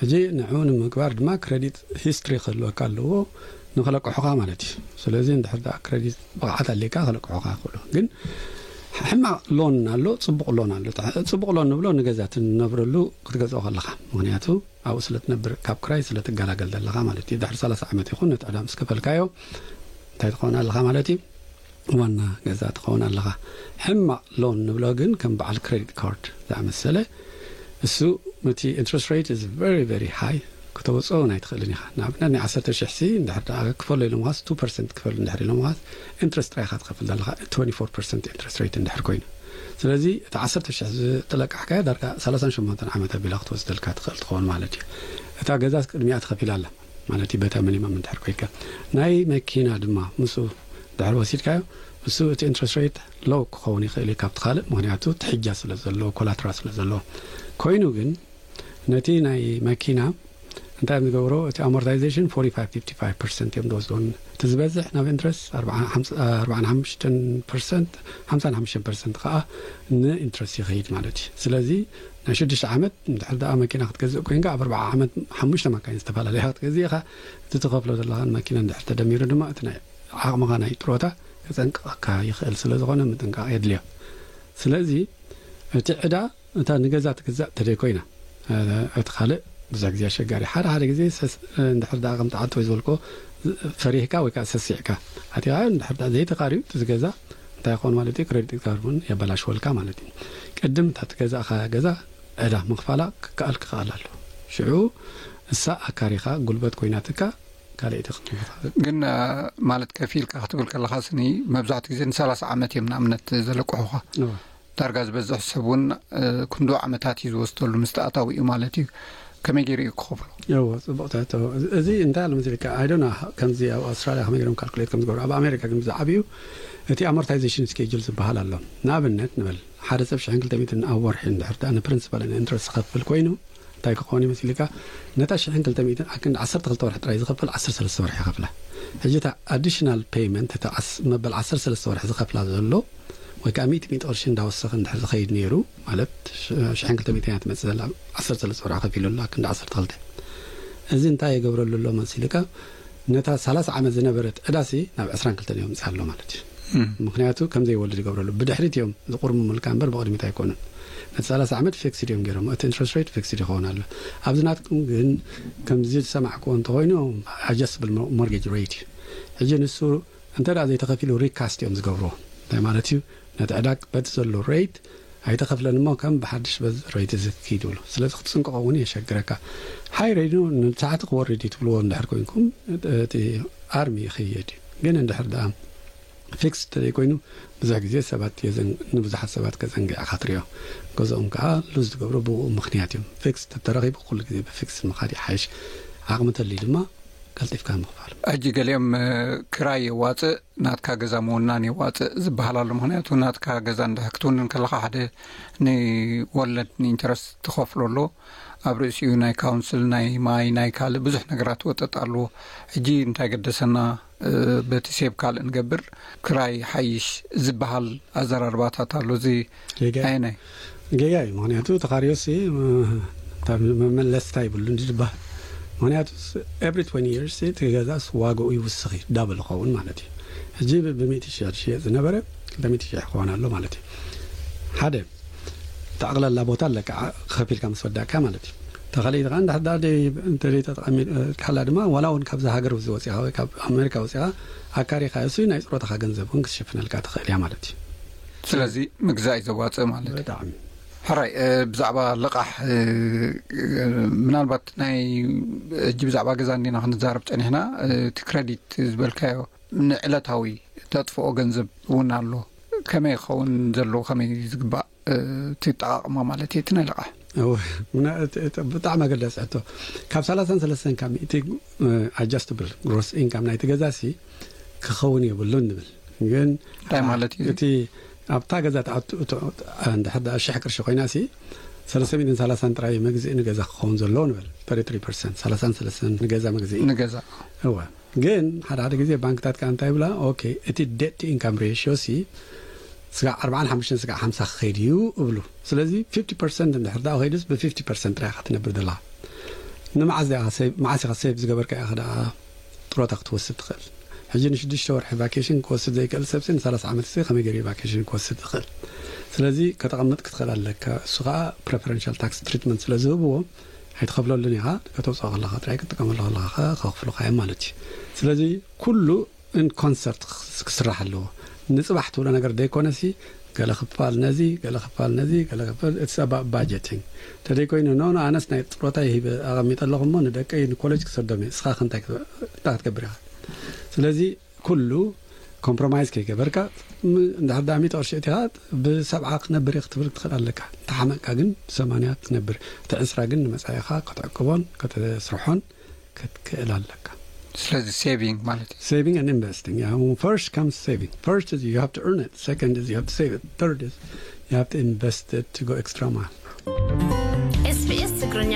ሕጂ ንዕኡ ንምግባር ድማ ክሬዲት ሂስትሪ ክህልወካ ኣለዎ። ንኽለቅሑኻ ማለት እዩ። ስለዚ እንድሕር ደኣ ክሬዲት ብቕዓት ኣሊካ ክለቅሑኻ ይኽእሉ። ግን ሕማቕ ሎን ኣሎ፣ ጽቡቕ ሎን ኣሎ። ጽቡቕ ሎን ንብሎ ንገዛ ትነብረሉ ክትገዝኦ ከለኻ። ምኽንያቱ ኣብኡ ስለ ትነብር፣ ካብ ክራይ ስለ ትገላገል ዘለኻ ማለት እዩ። ድሕሪ ሰላሳ ዓመት ይኹን ነቲ ዕዳ ምስ ከፈልካዮ እንታይ ትኸውን ኣለኻ ማለት እዩ? ዋና ገዛ ትኸውን ኣለኻ። ሕማቕ ሎን ንብሎ ግን ከም በዓል ክሬዲት ካርድ ዝኣመሰለ፣ እሱ እቲ ኢንትረስት ሬት is very, very high፣ ከተውፅኦ እውን ኣይትኽእልን ኢኻ። ንኣብነት ናይ ዓሰርተ ሺሕ ሲ እንድሕር ደኣ ክፈሎ ኢሎምኻስ፣ ቱ ፐርሰንት ክፈል እንድሕር ኢሎምኻስ፣ ኢንትረስት ጥራይ ኢኻ ትኸፍል ዘለኻ፣ ትወንቲ ፎር ፐርሰንት ኢንትረስት ሬት እንድሕር ኮይኑ። ስለዚ እቲ ዓሰርተ ሺሕ ዝተለቃሕካዮ ዳርጋ ሰላሳን ሸሞንተን ዓመት ኣቢላ ክትወስደልካ ትኽእል ትኸውን ማለት እዩ። እታ ገዛስ ቅድሚኣ ትኸፊል ኣላ ማለት እዩ፣ በታ ሚኒመም እንድሕር ኮይንካ። ናይ መኪና ድማ ምስኡ ድሕር ወሲድካዮ፣ እሱ እቲ ኢንትረስት ሬት ሎው ክኸውን ይኽእል እዩ ካብቲ ካልእ፣ ምኽንያቱ ትሕጃ ስለ ዘለዎ፣ ኮላትራል ስለ ዘለዎ። ኮይኑ ግን ነቲ ናይ መኪና እንታይ እዮም ዝገብሮ? እቲ ኣሞርታይዜሽን ፎርቲ ፋይቭ ፊፍቲ ፋይቭ ፐርሰንት እዮም ዝወስድዎ። እቲ ዝበዝሕ ናብ ኢንትረስት ኣርባዓን ሓምሳን ፐርሰንት፣ ሓምሳን ሓሙሽተን ፐርሰንት ከዓ ንኢንትረስት ይኸይድ ማለት እዩ። ስለዚ ናይ ሽዱሽተ ዓመት እንድሕር ደኣ መኪና ክትገዝእ ኮይንካ፣ ኣብ ኣርባዓ ዓመት ሓሙሽተ መካይን ዝተፈላለያ ክትገዝእ ኢኻ። እቲ ትኸፍሎ ዘለኻ መኪና እንድሕር ተደሚሩ ድማ እቲ ናይ ዓቕምኻ ናይ ጥሮታ ከጸንቅቐካ ይኽእል ስለ ዝኾነ ምጥንቃቕ የድልዮ። ስለዚ እቲ ዕዳ እታ ንገዛ ትግዛእ ተደይ ኮይና፣ እ፣ እቲ ካልእ ብዙሕ ግዜ ኣሸጋሪ። ሓደ ሓደ ግዜ ሰስ-፣ እንድሕር ደኣ ከምቲ ዓንተወይ ዝበልኮ ፈሪህካ ወይ ከዓ ሰሲዕካ ኣቲኻዮ፣ እንድሕር ደኣ ዘይተኻርዩ እቲ ገዛ እንታይ ይኸውን ማለት እዩ? ክሬዲት ካርድ እውን የበላሽወልካ ማለት እዩ። ቅድም እታ ትገዛእኻ ገዛ ዕዳ ምኽፋላ ክከኣል ክኸኣል ኣሎ። ሽዑ እሳ ኣካሪኻ ጉልበት ኮይናትካ ካልኣይቲ ክትምልካ። ግን፣ እ፣ ማለት ከፊልካ ክትብል ከለኻ ስኒ መብዛሕትኡ ግዜ ንሰላሳ ዓመት እዮም ንኣብነት ዘለቅሑኻ። እወ። ዳርጋ ዝበዝሕ ሰብ እውን፣ እ፣ ክንዱ ዓመታት እዩ ዝወስደሉ ምስ ተኣታዊ እዩ ማለት እዩ። ከመይ ገይሩ እዩ ክኸፍሎ? እወ፣ ጽቡቕ ትሕቶ። እዚ፣ እዚ እንታይ ኣሎ መሲልካ? I don't know፣ ከምዚ ኣብ ኣውስትራልያ ከመይ ገይሮም ካልኩሌት ከም ዝገብሩ። ኣብ ኣሜሪካ ግን ብዝዓብዩ እቲ ኣሞርታይዜሽን ስኬጁል ዝበሃል ኣሎ። ንኣብነት ንበል፣ ሓደ ሰብ ሽሕን ክልተ ሚእትን ኣብ ወርሒ እንድሕር ደኣ ንፕሪንሲፓል ኢንትረስት ዝኸፍል ኮይኑ፣ እንታይ ክኸውን ይመስልካ? ነታ ሽሕን ክልተ ሚእትን ኣብ ክንዲ ዓሰርተ ክልተ ወርሒ ጥራይ ዝኸፍል ዓሰርተ ሰለስተ ወርሒ ይኸፍላ። ሕጂ እታ ኣዲሽናል ፔይመንት፣ እታ ዓስ-፣ መበል ዓሰርተ ሰለስተ ወርሒ ዝኸፍላ ዘሎ፣ ወይ ከዓ ሚእቲ ሚእቲ ቅርሺ እንዳወሰኸ እንድሕር ዝኸይድ ነይሩ፣ ማለት ሽ-፣ ሽሕን ክልተ ሚእትን እያ ትመጽእ ዘላ፣ ዓሰርተ ሰለስተ ወርሒ ከፊሉ ኣሎ፣ ኣብ ክንዲ ዓሰርተ ክልተ። እዚ እንታይ የገብረሉ ኣሎ መሲልካ? ነታ ሰላሳ ዓመት ዝነበረት ዕዳሲ ናብ ዕስራን ክልተን የምጽእ ኣሎ ማለት እዩ። እም። ምኽንያቱ ከም ዘይወልድ ይገብረሉ። ብድሕሪት እዮም ዝቑርምሙልካ እምበር ብቕድሚት ኣይኮኑን። ነቲ ሰላሳ ዓመት ፊክስድ እዮም ገይሮም። እቲ ኢንትረስት ሬት ፊክስድ ይኸውን ኣሎ። ኣብዚ ናትኩም ግን ከምዚ ዝሰማዕክዎ እንተኾይኑ፣ ኣጀስትብል ሞ-፣ ሞርጌጅ ሬት እዩ። ሕጂ ንሱ እንተ ደኣ ዘይተኸፊሉ ሪካስት እዮም ዝገብርዎ። እንታይ ማለት እዩ? ነቲ ዕዳግ በቲ ዘሎ ሬት ኣይተኸፍለን እሞ ከም ብሓድሽ በዚ ሬት እዚ ክኪድ ይብሉ። ስለዚ ክትጽንቀቖ እውን የሸግረካ። ሃይ ሬት ንሰዓት ክወርድ እዩ ትብልዎ እንድሕር ኮይንኩም፣ እቲ ኣርሚ ይኸየድ እዩ። ግን እንድሕር ደኣ ፊክስ ተዘይኮይኑ፣ ብዙሕ ግዜ ሰባት የዘን-፣ ንብዙሓት ሰባት ከዘንግዕኻ ትሪኦ። ገዛኦም ከዓ ሉዝ ዝገብሩ ብኡ ምኽንያት እዮም። ፊክስ ተተረኺቡ ኩሉ ግዜ ብፊክስ ምኻድ ይሓይሽ። ዓቕሚ ተልዩ ድማ ቀልጢፍካ ምኽፋል። ሕጂ ገሊኦም፣ እ፣ ክራይ የዋፅእ፣ ናትካ ገዛ ምውናን የዋፅእ ዝበሃል ኣሎ። ምኽንያቱ ናትካ ገዛ እንድሕር ክትውንን ከለኻ ሓደ ንወለድ ንኢንተረስት ትኸፍሎ ኣሎ። ኣብ ርእሲኡ ናይ ካውንስል፣ ናይ ማይ፣ ናይ ካልእ ብዙሕ ነገራት ወጠጥ ኣለዎ። ሕጂ እንታይ ገደሰና፣ እ፣ በቲ ሴብ ካልእ ንገብር፣ ክራይ ሓይሽ ዝበሃል ኣዘራርባታት ኣሎ። እዚ ጌጋ እዩ። ኣየናይ? ጌጋ እዩ። ምኽንያቱ ተኻርዮሲ፣ እ፣ እታ መመለስታ ይብሉ እንዲ ዝበሃል። ምኽንያቱ every twenty years እቲ ገዛስ ዋጋኡ ይውስኽ እዩ፣ ዳብል ይኸውን ማለት እዩ። ሕጂ ብ-፣ ብ ሚእቲ ሺሕ ዝሽየጥ ዝነበረ ክልተ ሚእቲ ሺሕ ክኸውን ኣሎ ማለት እዩ። ሓደ፣ ጠቕላላ ቦታ ኣለካ፣ ዓ-፣ ከፊልካ ምስ ወዳእካ ማለት እዩ። ተኸሊት ከዓ እንድሕር ደኣ ደይ-፣ እንተ ደይ ተጠቐሚ-፣ ካላ ድማ ዋላ እውን ካብዛ ሃገር እዚ ወፂኻ ወይ ካብ ኣሜሪካ ወፂኻ ኣካሪኻ እሱ ናይ ፅሮታኻ ገንዘብ እውን ክትሽፍነልካ ትኽእል እያ ማለት እዩ። ስለዚ ምግዛእ እዩ ዘዋፅእ ማለት እዩ። ብጣዕሚ። ሕራይ፣ እ፣ ብዛዕባ ልቓሕ፣ እ፣ እ፣ ምናልባት ናይ ሕጂ ብዛዕባ ገዛ እንዲና ክንዛረብ ፀኒሕና፣ እ፣ እቲ ክረዲት ዝበልካዮ ንዕለታዊ ተጥፍኦ ገንዘብ እውን ኣሎ። ከመይ ክኸውን ዘለዎ፣ ከመይ ዝግባእ፣ እ፣ እቲ ኣጠቓቕማ ማለት እዩ፣ እቲ ናይ ልቓሕ? እወ፣ ምና-፣ እቲ፣ እቲ ብጣዕሚ ኣገዳሲ ሕቶ። ካብ ሰላሳን ሰለስተን ካብ ሚእቲ፣ እ፣ ኣጃስትብል ግሮስ ኢንካም ናይቲ ገዛ ሲ ክኸውን የብሉን ንብል። ግን እንታይ ማለት እዩ? እቲ ኣብታ ገዛ ትኣቱ፣ እቶ፣ እንድሕር ደኣ ሽሕ ቅርሺ ኮይና ሲ፣ ሰለስተ ሚእትን ሰላሳን ጥራይ መግዝኢ ንገዛ ክኸውን ዘለዎ ንብል። ተርቲ ትሪ ፐርሰንት፣ ሰላሳን ሰለስተን ንገዛ መግዝኢ። ንገዛ። እወ። ግን ሓደ ሓደ ግዜ ባንክታት ከኣ እንታይ ይብላ? ኦኬ፣ እቲ ዴት ቱ ኢንካም ሬሽዮ ሲ ስጋዕ ኣርባዓን ሓሙሽተን ስጋዕ ሓምሳ ክኸይድ እዩ እብሉ። ስለዚ ፊፍቲ ፐርሰንት እንድሕር ደኣ ከይዱስ ብ ፊፍቲ ፐርሰንት ጥራይ ኢኻ ትነብር ዘለኻ። ንመዓስ ዲኻ ሴቭ፣ መዓስ ኢኻ ሴቭ ዝገበርካ ኢኻ ደኣ ጥሮታ ክትወስድ ትኽእል? ሕጂ ንሽዱሽተ ወርሒ ቫኬሽን ክወስድ ዘይክእል ሰብሲ ንሰላሳ ዓመት ሲ ከመይ ገይሩ ቫኬሽን ክወስድ ትኽእል? ስለዚ ከተቐምጥ ክትኽእል ኣለካ። እሱ ኸኣ ፕሬፈረንሻል ታክስ ትሪትመንት ስለ ዝህብዎ ኣይትኸፍለሉን ኢኻ። ከተውፅኦ ከለኻ ጥራይ ክትጥቀመሉ ከለኻ ኸ-፣ ከኽፍሉኻ እዮም ማለት እዩ። ስለዚ ኩሉ ኢን ኮንሰርት ክስ-፣ ክስራሕ ኣለዎ። ንፅባሕ ትብሎ ነገር ዘይኮነሲ፣ ገለ ክፋል ነዚ፣ ገለ ክፋል ነዚ፣ ገለ ክፋል፣ it's about budgeting። ተደይኮይኑ፣ ኖ፣ ኖ፣ ኣነስ ናይ ጥሮታ ይሂበ ኣቐሚጠ ኣለኹ እሞ ንደቀይ ንኮሌጅ ክሰዶም እየ። እስኻ ከ እንታይ ክት-፣ እንታይ ክትገብር ኢኻ? ስለዚ ኩሉ ኮምፕሮማይዝ ከይገበርካ፣ ም-፣ እንድሕር ደኣ ሚእቲ ቅርሺ እቲኻ ብሰብዓ ክነብር እየ ክትብል ትኽእል ኣለካ። እንተሓመቕካ ግን ብሰማንያ ትነብር። እቲ ዕስራ ግን ንመጻኢኻ ክትዕቅቦን ከተስርሖን ክትክእል ኣለካ። ስለዚ ሴቪንግ ማለት እዩ። Saving and investing. Yeah, first comes saving. First is you have to earn it. Second is you have to save it. Third is you have to invest it to go extra mile. SBS ትግርኛ።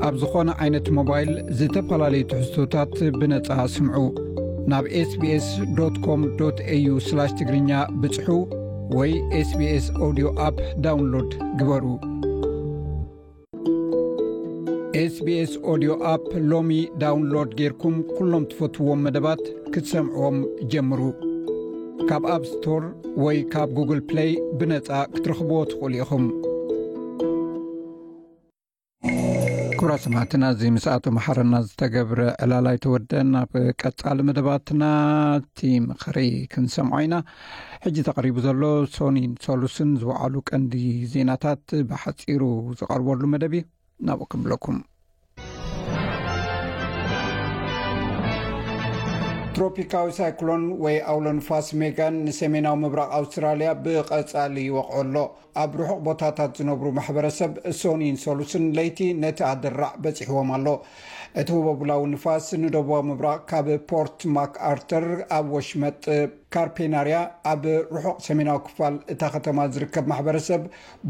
ኣብ ዝኾነ ዓይነት ሞባይል ዝተፈላለዩ ትሕዝቶታት ብነጻ ስምዑ። ናብ ኤስቢኤስ ዶት ኮም ዶት ኤዩ ስላሽ ትግርኛ ብጽሑ ወይ ኤስቢኤስ ኦዲዮ ኣፕ ዳውንሎድ ግበሩ። ኤስቢኤስ ኦዲዮ ኣፕ ሎሚ ዳውንሎድ ጌርኩም ኩሎም ትፈትውዎም መደባት ክትሰምዕዎም ጀምሩ። ካብ ኣፕ ስቶር ወይ ካብ ጉግል ፕለይ ብነጻ ክትረኽብዎ ትኽእሉ ኢኹም። ክቡራት ሰማዕትና፣ እዚ ምስ ኣቶ መሓረና ዝተገብረ ዕላል ኣይተወደን። ኣብ ቀጻሊ መደባትና እቲ ምኽሪ ክንሰምዖ ኢና። ሕጂ ተቐሪቡ ዘሎ ሶኒን ሶሉስን ዝወዓሉ ቀንዲ ዜናታት ብሓጺሩ ዝቐርበሉ መደብ እዩ። ናብኡ ክብለኩም። ትሮፒካዊ ሳይክሎን ወይ ኣውሎ ንፋስ ሜጋን ንሰሜናዊ ምብራቕ ኣውስትራልያ ብቐጻሊ ይወቕዖ ኣሎ። ኣብ ርሑቕ ቦታታት ዝነብሩ ማሕበረሰብ ሶኒን ሶሉስን ለይቲ ነቲ ኣደራዕ በጺሕዎም ኣሎ። እቲ ህቦቡላዊ ንፋስ ንደቡባዊ ምብራቕ ካብ ፖርት ማክ ኣርተር ኣብ ወሽመጥ ካርፔናርያ ኣብ ርሑቕ ሰሜናዊ ክፋል እታ ከተማ ዝርከብ ማሕበረሰብ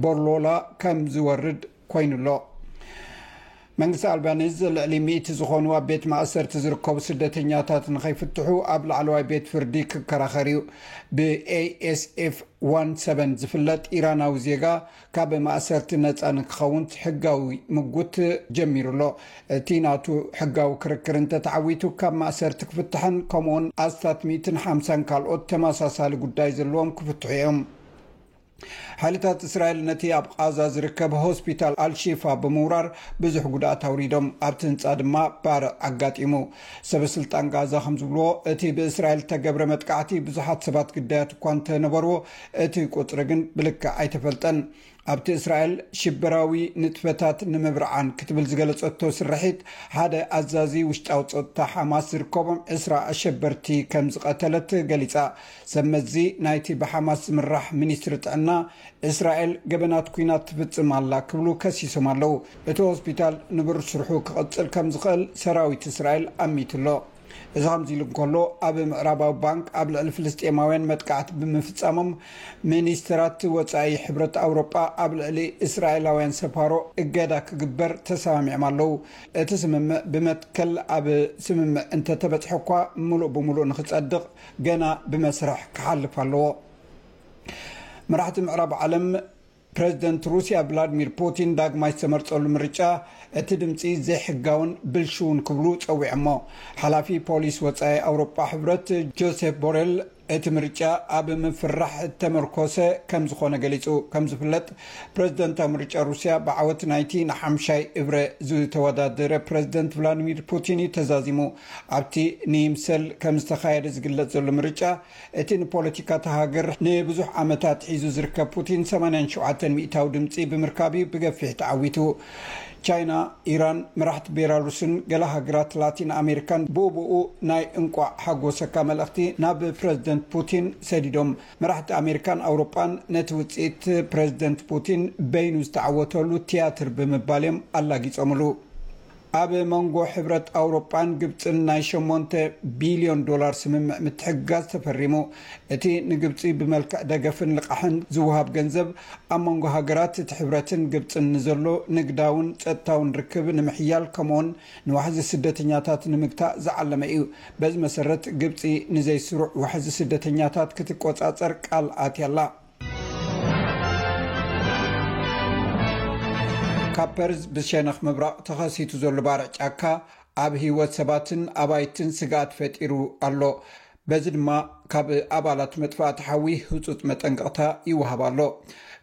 ቦርሎላ ከም ዝወርድ ኮይኑ ኣሎ። መንግስቲ ኣልባኒዝ ልዕሊ ሚእቲ ዝኾኑ ኣብ ቤት ማእሰርቲ ዝርከቡ ስደተኛታት ንኸይፍትሑ ኣብ ላዕለዋይ ቤት ፍርዲ ክከራኸር እዩ። ብኤኤስኤፍ ዋን ሰቨን ዝፍለጥ ኢራናዊ ዜጋ ካብ ማእሰርቲ ነጻ ንክኸውን ሕጋዊ ምጉት ጀሚሩ ኣሎ። እቲ ናቱ ሕጋዊ ክርክር እንተተዓዊቱ ካብ ማእሰርቲ ክፍትሕን ከምኡውን ኣስታት ሚእትን ሓምሳን ካልኦት ተመሳሳሊ ጉዳይ ዘለዎም ክፍትሑ እዮም። ሓይልታት እስራኤል ነቲ ኣብ ቓዛ ዝርከብ ሆስፒታል ኣልሺፋ ብምውራር ብዙሕ ጉድኣት ኣውሪዶም። ኣብቲ ህንጻ ድማ ባርዕ ኣጋጢሙ። ሰበስልጣን ጋዛ ከም ዝብልዎ፣ እቲ ብእስራኤል እተገብረ መጥቃዕቲ ብዙሓት ሰባት ግዳያት እኳ እንተነበርዎ፣ እቲ ቁጽሪ ግን ብልክዕ ኣይተፈልጠን። ኣብቲ እስራኤል ሽበራዊ ንጥፈታት ንምብርዓን ክትብል ዝገለጸቶ ስርሒት፣ ሓደ ኣዛዚ ውሽጣዊ ጸጥታ ሓማስ ዝርከቦም ዕስራ ኣሸበርቲ ከም ዝቐተለት ገሊጻ። ሰብ መዚ ናይቲ ብሓማስ ዝምራሕ ሚኒስትሪ ጥዕና፣ እስራኤል ገበናት ኲናት ትፍጽም ኣላ ክብሉ ከሲሶም ኣለዉ። እቲ ሆስፒታል ንብር ስርሑ ክቕጽል ከም ዝኽእል ሰራዊት እስራኤል ኣሚቱ ኣሎ። እዚ ከምዚ ኢሉ እንከሎ፣ ኣብ ምዕራባዊ ባንክ ኣብ ልዕሊ ፍልስጤማውያን መጥቃዕቲ ብምፍጻሞም፣ ሚኒስተራት ወጻኢ ሕብረት ኣውሮጳ ኣብ ልዕሊ እስራኤላውያን ሰፋሮ እገዳ ክግበር ተሰማሚዖም ኣለዉ። እቲ ስምምዕ ብመትከል ኣብ ስምምዕ እንተተበጽሐ እኳ፣ ምሉእ ብምሉእ ንኽጸድቕ ገና ብመስርሕ ክሓልፍ ኣለዎ። መራሕቲ ምዕራብ ዓለም፣ ፕረዚደንት ሩስያ ቭላድሚር ፑቲን ዳግማይ ዝተመርጸሉ ምርጫ፣ እቲ ድምጺ ዘይሕጋውን ብልሽውን ክብሉ ጸዊዖሞ። ሓላፊ ፖሊስ ወጻኢ ኣውሮጳ ሕብረት ጆሴፍ ቦሬል፣ እቲ ምርጫ ኣብ ምፍራሕ እተመርኮሰ ከም ዝኾነ ገሊጹ። ከም ዝፍለጥ፣ ፕረዚደንታዊ ምርጫ ሩስያ ብዓወት ናይቲ ንሓምሻይ እብረ ዝተወዳደረ ፕረዚደንት ቭላድሚር ፑቲን እዩ ተዛዚሙ። ኣብቲ ንይምሰል ከም ዝተኻየደ ዝግለጽ ዘሎ ምርጫ፣ እቲ ንፖለቲካ እታ ሃገር ንብዙሕ ዓመታት ሒዙ ዝርከብ ፑቲን ሰማንያን ሸውዓተን ሚእታዊ ድምጺ ብምርካብ እዩ ብገፊሕ ተዓዊቱ። ቻይና፣ ኢራን፣ መራሕቲ ቤላሩስን ገለ ሃገራት ላቲን ኣሜሪካን ብኡብኡ ናይ እንቋዕ ሓጎሰካ መልእኽቲ ናብ ፕረዚደንት ፑቲን ሰዲዶም። መራሕቲ ኣሜሪካን ኣውሮጳን ነቲ ውጽኢት ፕረዚደንት ፑቲን በይኑ ዝተዓወተሉ ትያትር ብምባል እዮም ኣላጊጾምሉ። ኣብ መንጎ ሕብረት ኣውሮጳን ግብጽን ናይ ሸሞንተ ቢልዮን ዶላር ስምምዕ ምትሕግጋዝ ተፈሪሙ። እቲ ንግብጺ ብመልክዕ ደገፍን ልቓሕን ዝወሃብ ገንዘብ፣ ኣብ መንጎ ሃገራት እቲ ሕብረትን ግብጽን ንዘሎ ንግዳውን ጸጥታውን ርክብ ንምሕያል፣ ከምኡውን ንዋሕዚ ስደተኛታት ንምግታእ ዝዓለመ እዩ። በዚ መሰረት፣ ግብጺ ንዘይስሩዕ ዋሕዚ ስደተኛታት ክትቆጻጸር ቃል ኣትያ ኣላ። ካብ ፐርዝ ብሸነኽ ምብራቕ ተኸሲቱ ዘሎ ባርዕ ጫካ፣ ኣብ ህይወት ሰባትን ኣባይትን ስግኣት ፈጢሩ ኣሎ። በዚ ድማ፣ ካብ ኣባላት መጥፋእቲ ሓዊ ህጹጽ መጠንቀቕታ ይወሃብ ኣሎ።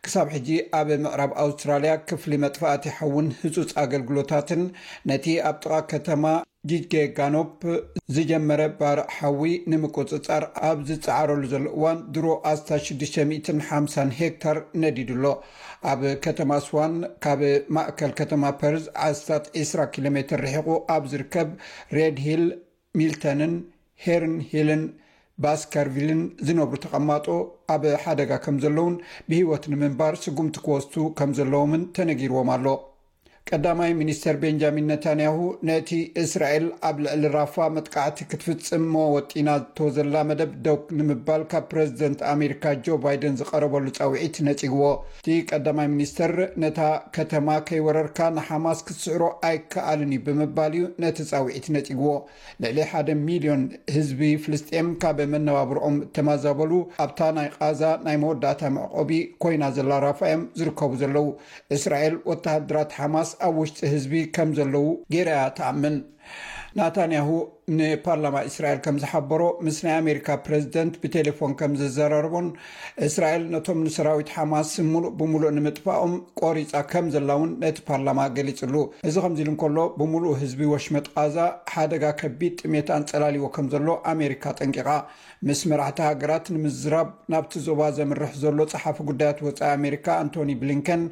ክሳብ ሕጂ፣ ኣብ ምዕራብ ኣውስትራልያ ክፍሊ መጥፋእቲ ሓውን ህጹጽ ኣገልግሎታትን፣ ነቲ ኣብ ጥቓ ከተማ ጂጅጌጋኖፕ ዝጀመረ ባርዕ ሓዊ ንምቁጽጻር ኣብ ዝጸዓረሉ ዘሎ እዋን፣ ድሮ ኣስታት ሽዱሽተ ሚእትን ሓምሳን ሄክታር ነዲዱ ኣሎ። ኣብ ከተማ ስዋን፣ ካብ ማእከል ከተማ ፐርዝ ኣስታት ዕስራ ኪሎ ሜትር ርሒቑ ኣብ ዝርከብ ሬድ ሂል፣ ሚልተንን ሄርን ሂልን ባስከርቪልን ዝነብሩ ተቐማጦ ኣብ ሓደጋ ከም ዘለውን ብህይወት ንምንባር ስጉምቲ ክወስዱ ከም ዘለዎምን ተነጊርዎም ኣሎ። ቀዳማይ ሚኒስተር ቤንጃሚን ነታንያሁ፣ ነቲ እስራኤል ኣብ ልዕሊ ራፋ መጥቃዕቲ ክትፍጽሞ ወጢናቶ ዘላ መደብ ደው ንምባል ካብ ፕረዚደንት ኣሜሪካ ጆ ባይደን ዝቐረበሉ ጻውዒት ነጺግዎ። እቲ ቀዳማይ ሚኒስተር፣ ነታ ከተማ ከይወረርካ ንሓማስ ክትስዕሮ ኣይከኣልን እዩ ብምባል እዩ ነቲ ጻውዒት ነጺግዎ። ልዕሊ ሓደ ሚልዮን ህዝቢ ፍልስጤም ካብ መነባብርኦም እተማዛበሉ፣ ኣብታ ናይ ቓዛ ናይ መወዳእታ መዕቆቢ ኮይና ዘላ ራፋ እዮም ዝርከቡ ዘለዉ። እስራኤል ወተሃደራት ሓማስ ኣብ ውሽጢ ህዝቢ ከም ዘለዉ ገይራ እያ ትኣምን። ናታንያሁ ንፓርላማ እስራኤል ከም ዝሓበሮ፣ ምስ ናይ ኣሜሪካ ፕረዚደንት ብቴሌፎን ከም ዘዘራረቦን፣ እስራኤል ነቶም ንሰራዊት ሓማስ ምሉእ ብምሉእ ንምጥፋኦም ቆሪጻ ከም ዘላ እውን ነቲ ፓርላማ ገሊጽሉ። እዚ ከምዚ ኢሉ እንከሎ፣ ብምሉእ ህዝቢ ወሽመጥ ቓዛ ሓደጋ ከቢድ ጥሜት ኣንጸላልዎ ከም ዘሎ ኣሜሪካ ጠንቂቓ። ምስ መራሕቲ ሃገራት ንምዝራብ ናብቲ ዞባ ዘምርሕ ዘሎ ጸሓፊ ጉዳያት ወጻኢ ኣሜሪካ ኣንቶኒ ብሊንከን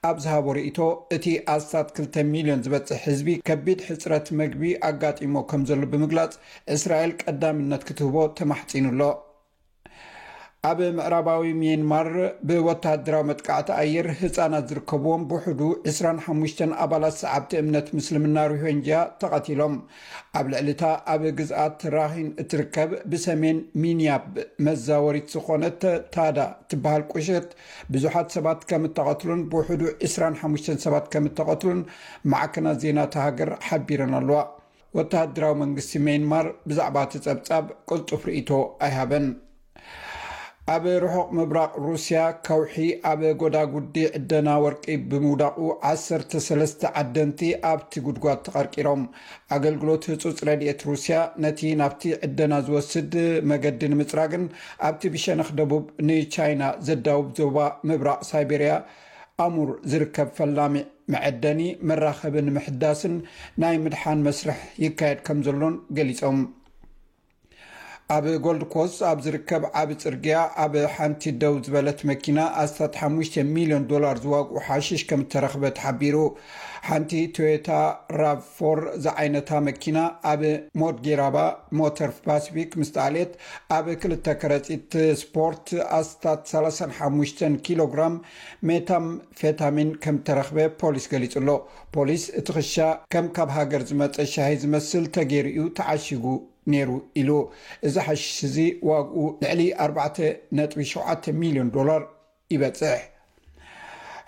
ኣብ ዝሃቦ ርእይቶ፣ እቲ ኣስታት ክልተ ሚልዮን ዝበጽሕ ህዝቢ ከቢድ ሕጽረት መግቢ ኣጋጢሞ ከም ዘሎ ብምግላጽ፣ እስራኤል ቀዳምነት ክትህቦ ተማሕጺኑ ኣሎ። ኣብ ምዕራባዊ ሚያንማር ብወተሃደራዊ መጥቃዕቲ ኣየር ህጻናት ዝርከብዎም ብውሕዱ ዕስራን ሓሙሽተን ኣባላት ሰዓብቲ እምነት ምስልምና ሮሂንጅያ ተቐቲሎም። ኣብ ልዕሊ እታ ኣብ ግዝኣት ራኺን እትርከብ ብሰሜን ሚንያብ መዛወሪት ዝኾነት ታዳ ትበሃል ቁሸት ብዙሓት ሰባት ከም እተቐትሉን ብውሕዱ ዕስራን ሓሙሽተን ሰባት ከም እተቐትሉን ማዕከናት ዜና እታ ሃገር ሓቢረን ኣለዋ። ወተሃደራዊ መንግስቲ ሚያንማር ብዛዕባ እቲ ጸብጻብ ቅልጡፍ ርእይቶ ኣይሃበን። ኣብ ርሑቕ ምብራቕ ሩስያ ከውሒ ኣብ ጎዳጉዲ ዕደና ወርቂ ብምውዳቑ ዓሰርተ ሰለስተ ዓደንቲ ኣብቲ ጉድጓድ ተቐርቂሮም። ኣገልግሎት ህጹጽ ረድኤት ሩስያ ነቲ ናብቲ ዕደና ዝወስድ መገዲ ንምጽራግን ኣብቲ ብሸነኽ ደቡብ ንቻይና ዘዳውብ ዞባ ምብራቕ ሳይቤርያ ኣሙር ዝርከብ ፈላሚ መዐደኒ መራኸቢ ንምሕዳስን ናይ ምድሓን መስርሕ ይካየድ ከም ዘሎን ገሊጾም። ኣብ ጎልድ ኮስት ኣብ ዝርከብ ዓቢ ጽርግያ ኣብ ሓንቲ ደው ዝበለት መኪና ኣስታት ሓሙሽተ ሚልዮን ዶላር ዝዋግኡ ሓሽሽ ከም እተረኽበ ተሓቢሩ። ሓንቲ ቶዮታ ራቭ ፎር ዝዓይነታ መኪና ኣብ ሞድጌራባ ሞተር ፓሲፊክ ምስ ተኣልየት ኣብ ክልተ ከረጺት ስፖርት ኣስታት ሰላሳን ሓሙሽተን ኪሎ ግራም ሜታምፌታሚን ከም እተረኽበ ፖሊስ ገሊጹ ኣሎ። ፖሊስ እቲ ክሻ ከም ካብ ሃገር ዝመጸ ሻሂ ዝመስል ተገይሩ እዩ ተዓሺጉ ነይሩ ኢሉ። እዚ ሓሽሽ እዚ ዋግኡ ልዕሊ ኣርባዕተ ነጥቢ ሸውዓተ ሚልዮን ዶላር ይበጽሕ።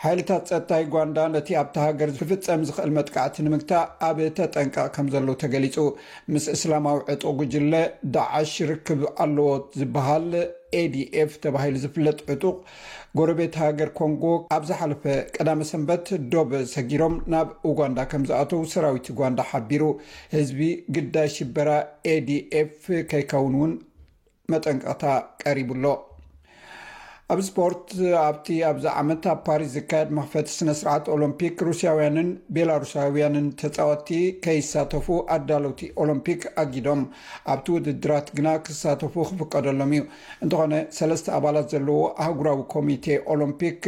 ሓይልታት ጸጥታ ዩጋንዳ ነቲ ኣብታ ሃገር ክፍጸም ዝኽእል መጥቃዕቲ ንምግታእ ኣብ ተጠንቀቕ ከም ዘለዉ ተገሊጹ። ምስ እስላማዊ ዕጡቕ ጉጅለ ዳዓሽ ርክብ ኣለዎ ዝበሃል ኤ ዲ ኤፍ ተባሂሉ ዝፍለጥ ዕጡቕ ጎረቤት ሃገር ኮንጎ ኣብ ዝሓለፈ ቀዳመ ሰንበት ዶብ ሰጊሮም ናብ ኡጋንዳ ከም ዝኣተዉ ሰራዊት ኡጋንዳ ሓቢሩ። ህዝቢ ግዳይ ሽበራ ኤ ዲ ኤፍ ከይከውን እውን መጠንቀቕታ ቀሪቡ ኣሎ። ኣብ ስፖርት፣ ኣብቲ ኣብዚ ዓመት ኣብ ፓሪስ ዝካየድ መኽፈቲ ስነ ስርዓት ኦሎምፒክ ሩስያውያንን ቤላሩሳውያንን ተጻወትቲ ከይሳተፉ ኣዳለውቲ ኦሎምፒክ ኣጊዶም። ኣብቲ ውድድራት ግና ክሳተፉ ክፍቀደሎም እዩ። እንተኾነ ሰለስተ ኣባላት ዘለዎ ኣህጉራዊ ኮሚቴ ኦሎምፒክ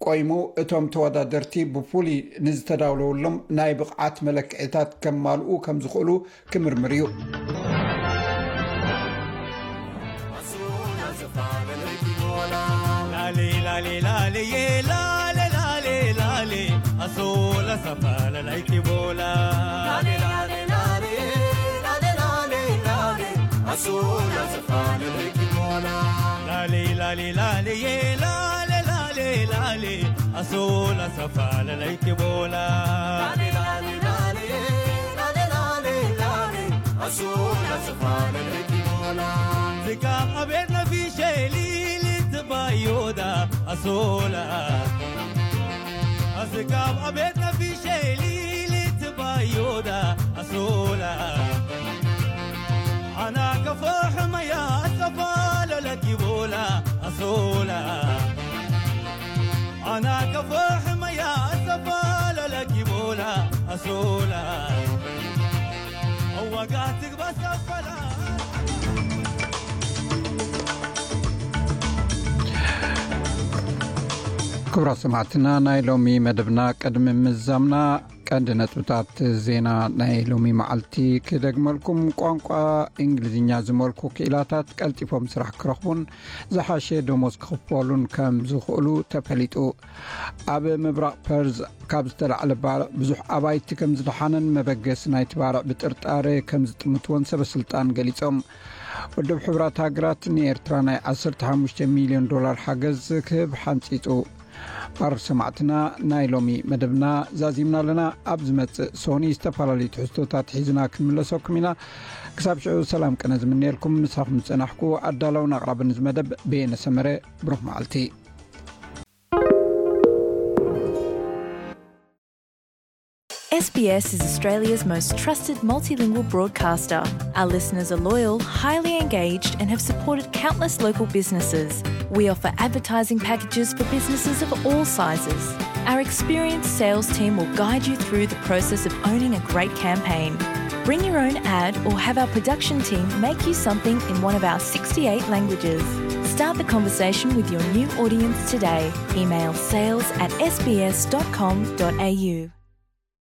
ቆይሙ እቶም ተወዳደርቲ ብፍሉይ ንዝተዳለወሎም ናይ ብቕዓት መለክዒታት ከማልኡ ከም ዝኽእሉ ክምርምር እዩ። ዝካብ ኣቤት ነፊሸ ሊሊት ባዮዳ ኣሶላ። ዝካብ ኣቤት ነፊሸ ሊሊት ባዮዳ ኣሶላ። ኣና ከፎ ሕመያ ኣሰፋለለኪ ቦላ ኣሶላ። ኣና ከፎ ሕመያ ኣሰፋለለኪ ቦላ ኣሶላ። ኣዋጋ ትግባ ሰፈላ። ክቡራት ሰማዕትና፣ ናይ ሎሚ መደብና ቅድሚ ምዛምና ቀንዲ ነጥብታት ዜና ናይ ሎሚ መዓልቲ ክደግመልኩም። ቋንቋ እንግሊዝኛ ዝመልኩ ክኢላታት ቀልጢፎም ስራሕ ክረኽቡን ዝሓሸ ደሞዝ ክኽፈሉን ከም ዝኽእሉ ተፈሊጡ። ኣብ ምብራቕ ፐርዝ ካብ ዝተላዕለ ባርዕ ብዙሕ ኣባይቲ ከም ዝደሓነን መበገሲ ናይቲ ባርዕ ብጥርጣረ ከም ዝጥምትዎን ሰበ ስልጣን ገሊጾም። ውድብ ሕቡራት ሃገራት ንኤርትራ ናይ ዓሰርተ ሓሙሽተ ሚልዮን ዶላር ሓገዝ ክህብ ሓንጺጹ። ባር ሰማዕትና፣ ናይ ሎሚ መደብና ዛዚምና ኣለና። ኣብ ዝመጽእ ሶኒ ዝተፈላለዩ ትሕዝቶታት ሒዝና ክንምለሰኩም ኢና። ክሳብ ሽዑ ሰላም ቅነ ዝምነየልኩም፣ ምሳኹም ዝጸናሕኩ ኣዳላውን ኣቕራብን እዚ መደብ በየነ ሰመረ። ብሩኽ መዓልቲ። S B S is Australia's most trusted multilingual broadcaster. Our listeners are loyal, highly engaged, and have supported countless local businesses. We offer advertising packages for businesses of all sizes. Our experienced sales team will guide you through the process of owning a great campaign. Bring your own ad or have our production team make you something in one of our sixty-eight languages. Start the conversation with your new audience today. Email sales at S B S dot com dot A U.